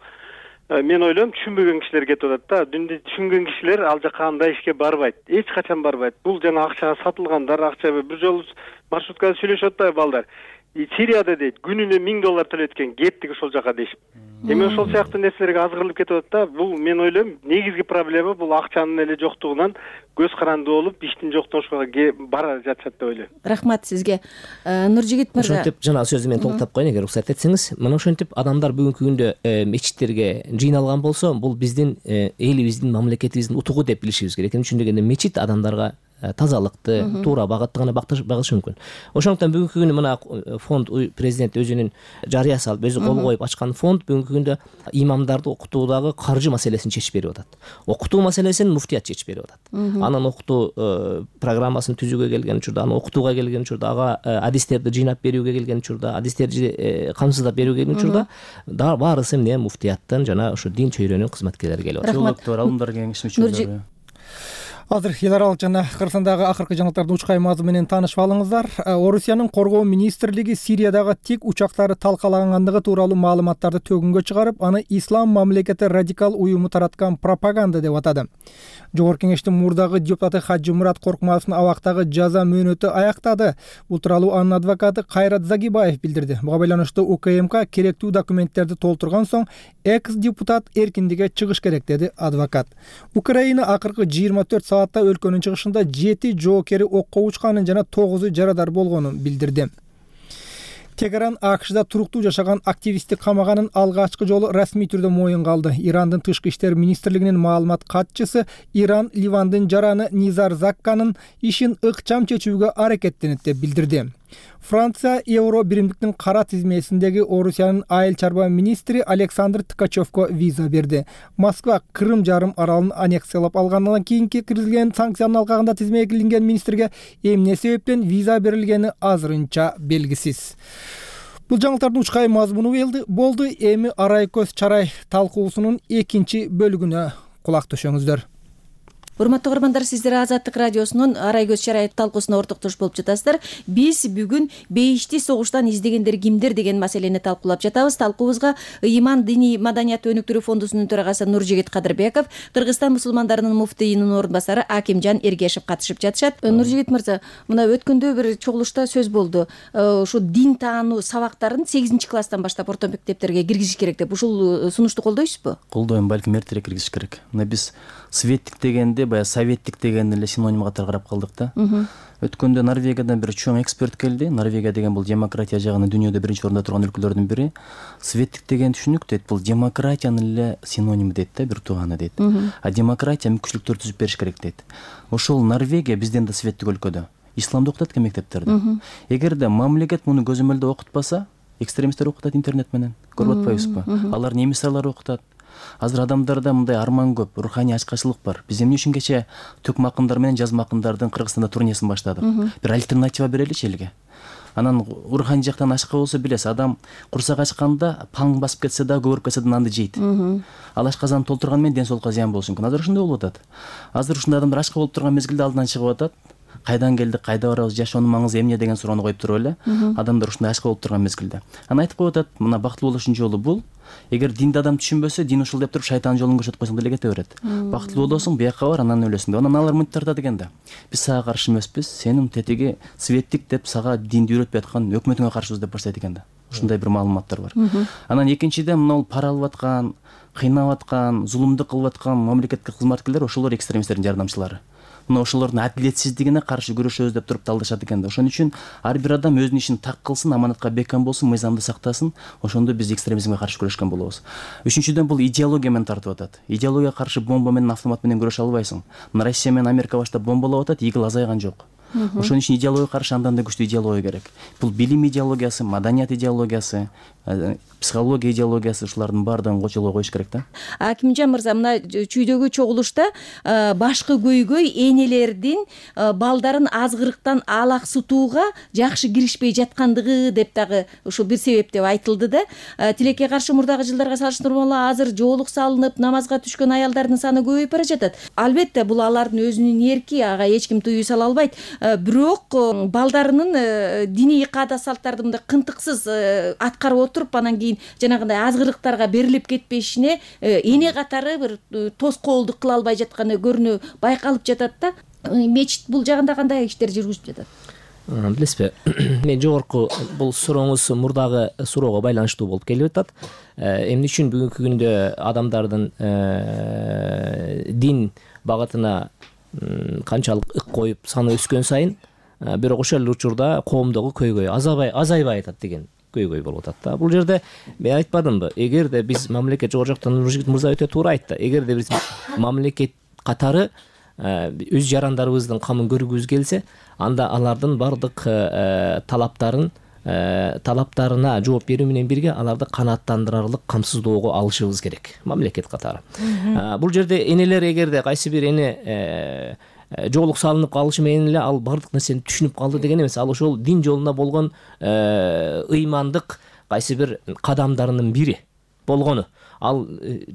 Speaker 12: мен ойлойм, түшүнбөгөн кишилер кетип атат да. Динди түшүнгөн кишилер ал жака андай ишке барбайт. Эч качан барбайт. Бул жана акчага сатылгандар, акча бир жолу маршруткада сүйлөшүп атпайбы балдар. Сирияда дейт, күнүнө миң доллар төлөткөн кеттик ошол жака дейшип. Эми ошол сыяктуу нерселерге азгырылып кетип атат да. Бул мен ойлойм, негизги проблема бул акчанын эле жоктугунан көз каранды болуп, иштин жоктошуга бара жатышат деп ойлойм.
Speaker 7: Рахмат сизге. Нуржигит мырза.
Speaker 4: Ошентип жана сөзү менен толуктап коеюн, эгер уруксат этсеңиз. Мына ошентип адамдар бүгүнкү күндө мечиттерге жыйналган болсо, бул биздин элибиздин, мамлекетибиздин утугу деп билишибиз керек. Эмне үчүн дегенде мечит адамдарга тазалыкты, туура багытты гана багышы мүмкүн. Ошондуктан бүгүнкү күнү мына фонд президент өзүнүн жарыя салып, өзү кол коюп ачкан фонд бүгүнкү күндө имамдарды окутуудагы каржы маселесин чечип берип атат. Окутуу маселесин муфтият чечип берип атат. Анан окутуу программасын түзүүгө келген учурда, аны окутууга келген учурда, ага адистерди жыйнап берүүгө келген учурда, адистерди камсыздап берүүгө келген учурда баарысы эмне муфтияттан жана ошо дин чөйрөнүн кызматкерлери келип атат.
Speaker 10: Теологдор, алымдар кеңеши мүчөлөрү.
Speaker 1: Азыр эл аралык жана Кыргызстандагы акыркы жаңылыктардын учкай мазмуну менен таанышып алыңыздар. Орусиянын коргоо министрлиги Сириядагы тик учактары талкалангандыгы тууралуу маалыматтарды төгүнгө чыгарып, аны ислам мамлекети радикал уюму тараткан пропаганда деп атады. Жогорку кеңештин мурдагы депутаты Хажымурат Коркмазовдун абактагы жаза мөөнөтү аяктады. Бул тууралуу анын адвокаты Кайрат Загибаев билдирди. Буга байланыштуу УКМК керектүү документтерди толтурган соң экс депутат эркиндикке чыгыш керек, деди адвокат. Украина акыркы жыйырма төрт саатта өлкөнүн чыгышында жети жоокери окко учканын жана тогузу жарадар болгонун билдирди. Тегеран АКШда туруктуу жашаган активистти камаганын алгачкы жолу расмий түрдө моюнга алды. Ирандын тышкы иштер министрлигинин маалымат катчысы Иран Ливандын жараны Низар Закканын ишин ыкчам чечүүгө аракеттенет деп билдирди. Франция Евро биримдиктин кара тизмесиндеги Орусиянын айыл чарба министри Александр Ткачевко виза берди. Москва Крым жарым аралын аннексиялап алгандан кийин киргизилген санкциянын алкагында тизмеге илинген министрге эмне себептен виза берилгени азырынча белгисиз. Бул жаңылыктардын учкай мазмуну болду. Эми арай көз чарай талкуусунун экинчи бөлүгүнө кулак төшөңүздөр.
Speaker 7: Урматтуу көрөрмандар, сиздер Азаттык радиосунун арай көз чарай талкуусуна ортоктош болуп жатасыздар. Биз бүгүн бейишти согуштан издегендер кимдер деген маселени талкуулап жатабыз. Талкуубузга Ыйман диний маданияты өнүктүрүү фондусунун төрагасы Нуржигит Кадырбеков, Кыргызстан мусулмандарынын муфтийинин орун басары Акимжан Эргешев катышып жатышат. Нуржигит мырза, мына өткөндө бир чогулушта сөз болду. Ушу дин таануу сабактарын сегизинчи класстан баштап орто мектептерге киргизиш керек деп. Ушул сунушту колдойсузбу?
Speaker 10: Колдойм, балким эртерээк киргизиш керек. Мына биз светтик дегенде баягы советтик деген эле синоним катары карап калдык да. Өткөндө Норвегиядан бир чоң эксперт келди. Норвегия деген бул демократия жагынан дүйнөдө биринчи орунда турган өлкөлөрдүн бири. Светтик деген түшүнүк дейт, бул демократиянын эле синоними дейт да, бир тууганы дейт. А демократия мүмкүнчүлүктөр түзүп бериш керек дейт. Ошол Норвегия бизден да светтик өлкөдө исламды окутат экен мектептерде. Эгерде мамлекет муну көзөмөлдөө окутпаса, экстремисттер окутат интернет менен. Көрүп атпайбызбы? Алар немисалар окутат. Азыр адамдарда мындай арман көп, руханий ачкачылык бар. Биз эмне үчүн кече төкмө акындар менен жазма акындардын Кыргызстанда турнесин баштадык? Бир альтернатива береличи элге. Анан руханий жактан ачка болсо билесиз, адам курсак ачканда паң басып кетсе да, көбөрүп кетсе да нанды жейт. Ал ашказанды толтурган менен ден соолукка зыян болушу мүмкүн. Азыр ошондой болуп атат. Азыр ушундай адамдар ачка болуп турган мезгилде алдынан чыгып атат. Кайдан келдик, кайда барабыз, жашоонун маңызы эмне деген суроону коюп туруп эле адамдар ушундай ачка болуп турган мезгилде. Анан айтып коюп атат, мына бактылуу болушунун жолу бул. Эгер динди адам түшүнбөсө, дин ушул деп туруп шайтандын жолун көрсөтүп койсоң деле кете берет. Бактылуу болосуң, бияка бар, анан өлөсүң деп. Анан алар мынтип тартат экен да. Биз сага каршы эмеспиз, сенин тетиги светтик деп сага динди үйрөтпөй аткан өкмөтүңө каршыбыз деп баштайт экен да. Ушундай бир маалыматтар бар. Анан экинчиден мына пара алып аткан, кыйнап аткан, зулумдук кылып аткан мамлекеттик кызматкерлер ошолор экстремисттердин жардамчылары. Мына ошолордун адилетсиздигине каршы күрөшөбүз деп туруп талдашат экен да. Ошон үчүн ар бир адам өзүнүн ишин так кылсын, аманатка бекем болсун, мыйзамды сактасын. Ошондо биз экстремизмге каршы күрөшкөн болобуз. Үчүнчүдөн бул идеология менен тартып атат. Идеологияга каршы бомба менен, автомат менен күрөшө албайсың. Мына Россия менен Америка баштап бомбалап атат, игил азайган жок. Ошон үчүн идеологияга каршы андан да күчтүү идеология керек. Бул билим идеологиясы, маданият идеологиясы, психология идеологиясы, ушулардын баардыгын кочолго коюш керек да.
Speaker 7: Акимжан мырза, мына чүйдөгү чогулушта башкы көйгөй энелердин балдарын азгырыктан алаксытууга жакшы киришпей жаткандыгы деп дагы ушул бир себеп деп айтылды да. Тилекке каршы мурдагы жылдарга салыштырмалуу азыр жоолук салынып, намазга түшкөн аялдардын саны көбөйүп бара жатат. Албетте бул алардын өзүнүн эрки, ага эч ким тыюу сала албайт. Бирок балдарынын диний каада салттарды мындай кынтыксыз аткарып отуруп, анан кийин жанагындай азгырыктарга берилип кетпешине эне катары бир тоскоолдук кыла албай жатканы көрүнө байкалып жатат да. Мечит бул жагында кандай иштер жүргүзүп жатат?
Speaker 4: Билесизби, мен жогорку бул сурооңуз мурдагы суроого байланыштуу болуп келип атат. Эмне үчүн бүгүнкү күндө адамдардын дин багытына канчалык ык коюп саны өскөн сайын, бирок ошол эле учурда коомдогу көйгөй азайбай азайбай атат деген көйгөй болуп атат да. Бул жерде мен айтпадымбы, эгерде биз мамлекет, жогору жактан Нуржигит мырза өтө туура айтты, эгерде биз мамлекет катары өз жарандарыбыздын камын көргүбүз келсе, анда алардын бардык талаптарын талаптарына жооп берүү менен бирге аларды канааттандырарлык камсыздоого алышыбыз керек мамлекет катары. Бул жерде энелер, эгерде кайсы бир эне жоолук салынып калышы менен эле ал бардык нерсени түшүнүп калды деген эмес. Ал ошол дин жолуна болгон ыймандык кайсы бир кадамдарынын бири болгону. Ал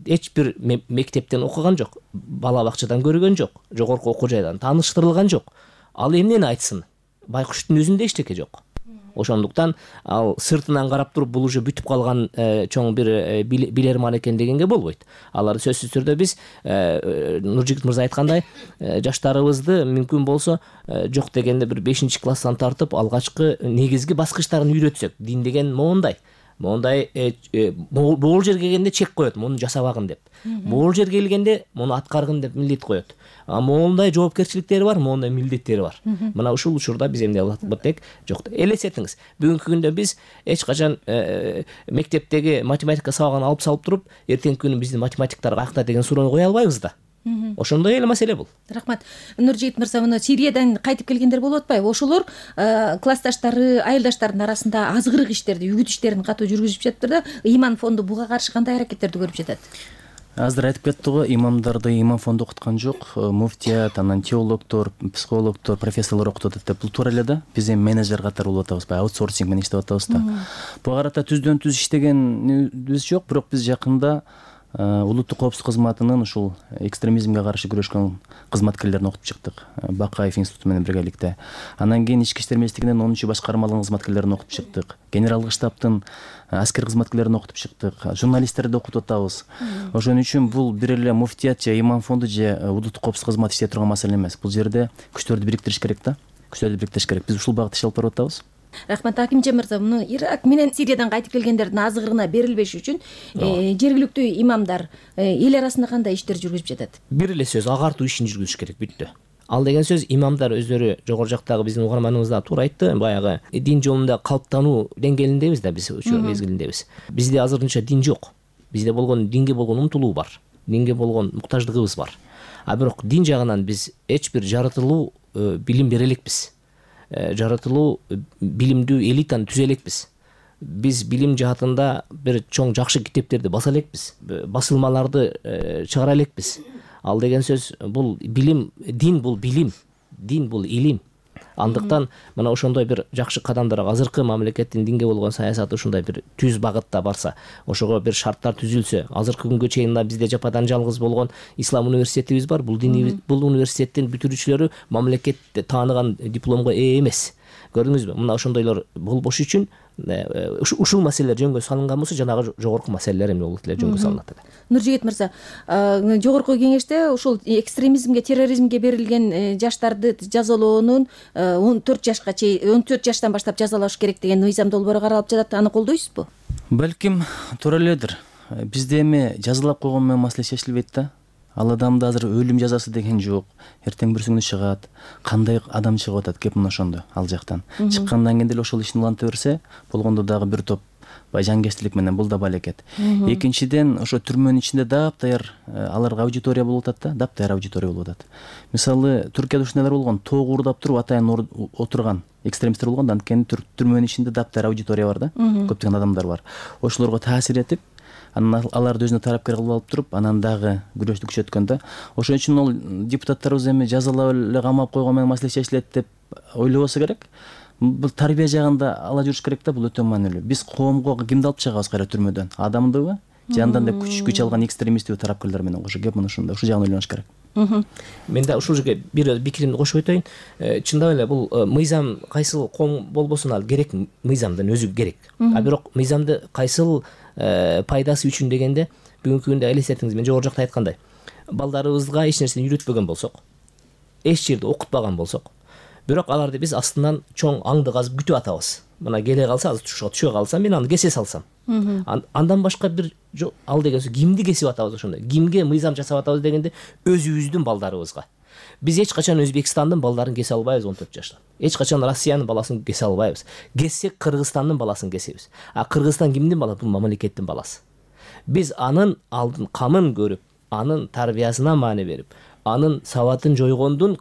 Speaker 4: эч бир мектептен окуган жок, бала бакчадан көргөн жок, жогорку окуу жайдан тааныштырылган жок. Ал эмнени айтсын? Байкуштун өзүндө эчтеке жок. Ошондуктан ал сыртынан карап туруп бул уже бүтүп калган чоң бир билерман экен дегенге болбойт. Алар сөзсүз түрдө биз Нуржигит мырза айткандай жаштарыбызды мүмкүн болсо жок дегенде бир бешинчи класстан тартып алгачкы негизги баскычтарын үйрөтсөк, дин деген моундай моундай могул жерге келгенде чек коет, муну жасабагын деп. Могул жерге келгенде муну аткаргын деп милдет коет. А моундай жоопкерчиликтери бар, моундай милдеттери бар. Мына ушул учурда биз эмне кылат болсок, жок. Элестетиңиз, бүгүнкү күндө биз эч качан мектептеги математика сабагын алып салып туруп, эртеңки күнү биздин математиктар каякта деген суроону кое албайбыз да. Ошондой эле маселе бул.
Speaker 7: Рахмат. Нуржигит мырза, мына Сириядан кайтып келгендер болуп атпайбы? Ошолор классташтары, айылдаштардын арасында азгырык иштерди, үгүт иштерин катуу жүргүзүп жатыптыр да. Ыйман фонду буга каршы кандай аракеттерди көрүп жатат?
Speaker 10: Азыр айтып кетти го, имамдарды имам фонду окуткан жок, муфтият, анан теологдор, психологдор, профессорлор окутуп атат деп. Бул туура эле да. Биз эми менеджер катары болуп атабыз, баягы аутсорсинг менен иштеп атабыз да. Буга карата түздөн түз иштегенибиз жок, бирок биз жакында улуттук коопсуздук кызматынын ушул экстремизмге каршы күрөшкөн кызматкерлерин окутуп чыктык, Бакаев институту менен биргеликте. Анан кийин ички иштер министрлигинин онунчу башкармалыгынын кызматкерлерин окутуп чыктык, генералдык штабтын аскер кызматкерлерин окутуп чыктык, журналисттерди окутуп атабыз. Ошон үчүн бул бир эле муфтият же имам фонду же улуттук коопсуздук кызматы иштей турган маселе эмес. Бул жерде күчтөрдү бириктириш керек да. Күчтөрдү бириктириш керек. Биз ушул багытта иш алып барып атабыз.
Speaker 7: Рахмат. Акимжан мырза, муну Ирак менен Сириядан кайтып келгендердин азыгырына берилбеш үчүн жергиликтүү имамдар эл арасында кандай иштер жүргүзүп жатат?
Speaker 4: Бир эле сөз, агартуу ишин жүргүзүш керек, бүттү. Ал деген сөз имамдар өздөрү жогору жактагы биздин угарманыбыз да туура айтты, баягы дин жолунда калыптануу деңгээлиндебиз да биз ошол мезгилиндебиз. Бизде азырынча дин жок. Бизде болгон динге болгон умтулуу бар, динге болгон муктаждыгыбыз бар. А бирок дин жагынан биз эч бир жаратылуу билим бере элекпиз. Жаратылуу билимдүү элитаны түзө элекпиз. Биз билим жаатында бир чоң жакшы китептерди баса элекпиз, басылмаларды чыгара элекпиз. Ал деген сөз бул билим, дин бул билим, дин бул илим. Андыктан мына ошондой бир жакшы кадамдар, азыркы мамлекеттин динге болгон саясаты ушундай бир түз багытта барса, ошого бир шарттар түзүлсө, азыркы күнгө чейин бизде жападан жалгыз болгон ислам университетибиз бар. Бул дини бул университеттин бүтүрүүчүлөрү мамлекетте тааныган дипломго ээ эмес. Көрдүңүзбү? Мына ошондойлор болбош үчүн ушул маселелер жөнгө салынган болсо, жанагы жогорку маселелер эмне болот эле жөнгө салынат эле.
Speaker 7: Нуржигит мырза, жогорку кеңеште ушул экстремизмге, терроризмге берилген жаштарды жазалоонун он төрт жашка чейин, он төрт жаштан баштап жазалаш керек деген мыйзам долбоору каралып жатат. Аны колдойсузбу?
Speaker 10: Балким туура эледир. Бизде эми жазалап койгон менен маселе чечилбейт да. Ал адамда азыр өлүм жазасы деген жок. Эртең бир күнү чыгат. Кандай адам чыгып атат кеп мына ошондо ал жактан. Чыккандан кийин деле ошол ишин уланта берсе, болгондо дагы бир топ жанкечтилик менен бул да балекет. Экинчиден, ошо түрмөнүн ичинде даптаяр аларга аудитория болуп атат да, даптаяр аудитория болуп атат. Мисалы, Түркияда ушундайлар болгон, тоого уурдап туруп атайын отурган экстремисттер болгон, анткени түрмөнүн ичинде даптаяр аудитория бар да, көптөгөн адамдар бар. Ошолорго таасир этип, анан аларды өзүнө тарапкер кылып алып туруп, анан дагы күрөштү күчөткөн да. Ошон үчүн ол депутаттарыбыз эми жазалап эле камап койгон менен маселе чечилет деп ойлобосо керек. Бул тарбия жагында ала жүрүш керек да, бул өтө маанилүү. Биз коомго кимди алып чыгабыз кайра түрмөдөн? Адамдыбы? Же андан да күч күч алган экстремисттиби тараптарлар менен кошо кеп мына ушунда, ушул жагын ойлонуш керек.
Speaker 4: Мен да ушул жерге бир пикиримди кошуп өтөйүн. Чындап эле бул мыйзам кайсыл коом болбосун ал керек, мыйзамдын өзү керек. А бирок мыйзамды кайсыл пайдасы үчүн дегенде, бүгүнкү күндө элестетиңиз, мен жогору жакта айткандай, балдарыбызга эч нерсени үйрөтпөгөн болсок, эч жерде окутпаган болсок, бирок аларды биз астынан чоң аңды казып күтүп атабыз. Мына келе калса, азыр түшө калса, мен аны кесе салсам. Андан башка бир ал деген сөз кимди кесип атабыз ошондой? Кимге мыйзам жасап атабыз дегенде, өзүбүздүн балдарыбызга. Биз эч качан Өзбекстандын балдарын кесе албайбыз он төрт жаштан. Эч качан Россиянын баласын кесе албайбыз. Кессек Кыргызстандын баласын кесебиз. А Кыргызстан кимдин баласы? Бул мамлекеттин баласы. Биз анын алдын камын көрүп, анын тарбиясына маани берип, анын сабатын жойгондун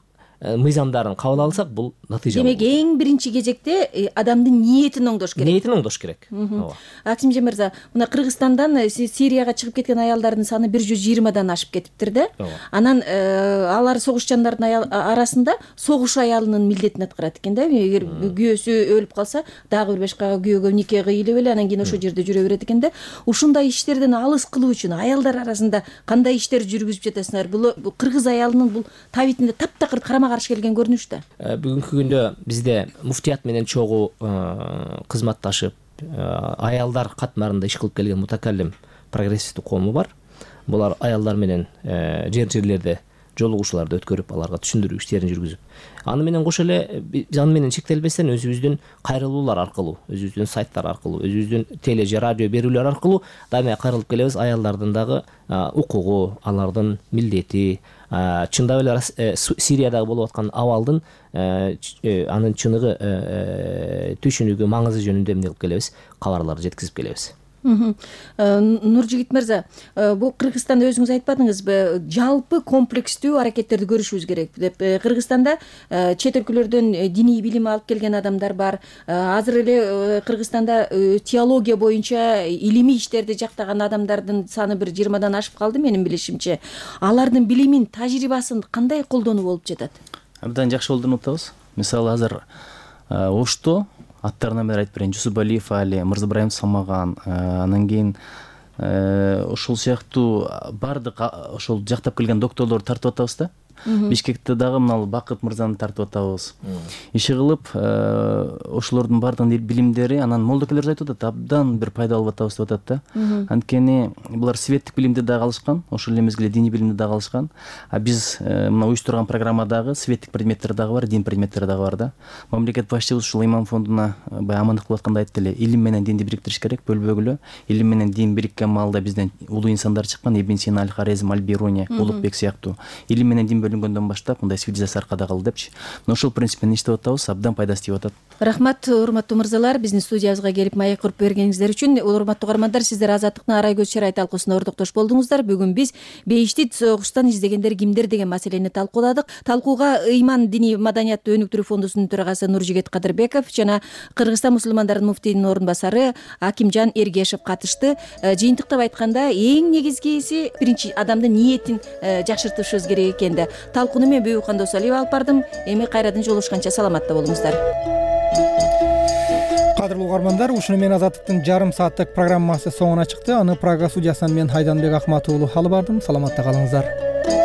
Speaker 4: мыйзамдарын кабыл алсак, бул натыйжа болот.
Speaker 7: Демек, эң биринчи кезекте адамдын ниетин оңдош керек.
Speaker 4: Ниетин оңдош керек. Ооба.
Speaker 7: Акимжан мырза, мына Кыргызстандан Сирияга чыгып кеткен аялдардын саны бир жүз жыйырмадан ашып кетиптир да. Анан алар согушчандардын арасында согуш аялынын милдетин аткарат экен да. Эгер күйөөсү өлүп калса, дагы бир башка күйөөгө нике кыйлып эле анан кийин ошол жерде жүрө берет экен да. Ушундай иштерден алыс кылуу үчүн аялдар арасында кандай иштер жүргүзүп жатасыңар? Бул кыргыз аялынын бул табитинде таптакыр карама каршы келген көрүнүш да.
Speaker 4: Бүгүнкү күндө бизде муфтият менен чогуу кызматташып, аялдар катмарында иш кылып келген мутакаллим прогрессивдүү коому бар. Булар аялдар менен жер жерлерде жолугушууларды өткөрүп, аларга түшүндүрүү иштерин жүргүзүп, аны менен кошо эле биз аны менен чектелбестен өзүбүздүн кайрылуулар аркылуу, өзүбүздүн сайттар аркылуу, өзүбүздүн теле же радио берүүлөр аркылуу дайыма кайрылып келебиз. Аялдардын дагы укугу, алардын милдети, чындап эле Сириядагы болуп аткан абалдын анын чыныгы түшүнүгү, маңызы жөнүндө эмне кылып келебиз, кабарларды жеткизип келебиз.
Speaker 7: Нуржигит мырза, бул Кыргызстанда өзүңүз айтпадыңызбы, жалпы комплекстүү аракеттерди көрүшүбүз керек деп. Кыргызстанда чет өлкөлөрдөн диний билим алып келген адамдар бар. Азыр эле Кыргызстанда теология боюнча илимий иштерди жактаган адамдардын саны бир жыйырмадан ашып калды менин билишимче. Алардын билимин, тажрыйбасын кандай колдонуу болуп жатат?
Speaker 10: Абдан жакшы колдонуп атабыз. Мисалы азыр Ошто аттарынан бери айтып берейин, Жусупалиев Али, Мырзабраим Самаган, анан кийин ошол сыяктуу баардык ошол жактап келген докторлорду тартып атабыз да. Бишкекте дагы мына Бакыт мырзаны тартып атабыз. Иши кылып ошолордун баардыгынын билимдери анан молдокелер айтып атат, абдан бир пайда алып атабыз деп атат да. Анткени булар светтик билимди дагы алышкан, ошол эле мезгилде диний билимди дагы алышкан. А биз мына уюштурган программадагы светтик предметтер дагы бар, дин предметтери дагы бар да. Мамлекет башчыбыз ушул имам фондуна баягы амандык кылып атканда айтты эле, илим менен динди бириктириш керек, бөлбөгүлө. Илим менен дин бириккен маалда бизден улуу инсандар чыккан, Ибн Сина, Аль-Хорезм, Аль-Бируни, Улукбек сыяктуу. Илим менен дин бөлүнгөндөн баштап мындай цивилизация аркада калды депчи. Но ошол принциппен иштеп атабыз, абдан пайдасы тип атат.
Speaker 7: Рахмат, урматтуу мырзалар, биздин студиябызга келип маек куруп бергениңиздер үчүн. Урматтуу угармандар, сиздер Азаттыктын Арай көз чырай талкуусуна ордоктош болдуңуздар. Бүгүн биз Бейиштит согуштан издегендер кимдер деген маселени талкууладык. Талкууга Ыйман диний маданиятты өнүктүрүү фондусунун төрагасы Нуржигит Кадырбеков жана Кыргызстан мусулмандарынын муфтийинин орун басары Акимжан Эргешев катышты. Жыйынтыктап айтканда, эң негизгиси биринчи адамдын ниетин жакшыртышыбыз керек экен да. Талкууну мен Бүйүкхан Досалиева алып бардым. Эми кайрадан жолугушканча саламатта болуңуздар.
Speaker 1: Кадырлуу угармандар, ушуну менен Азаттыктын жарым сааттык программасы соңуна чыкты. Аны Прага студиясынан мен Айданбек Акматуулу алып бардым. Саламатта калыңыздар.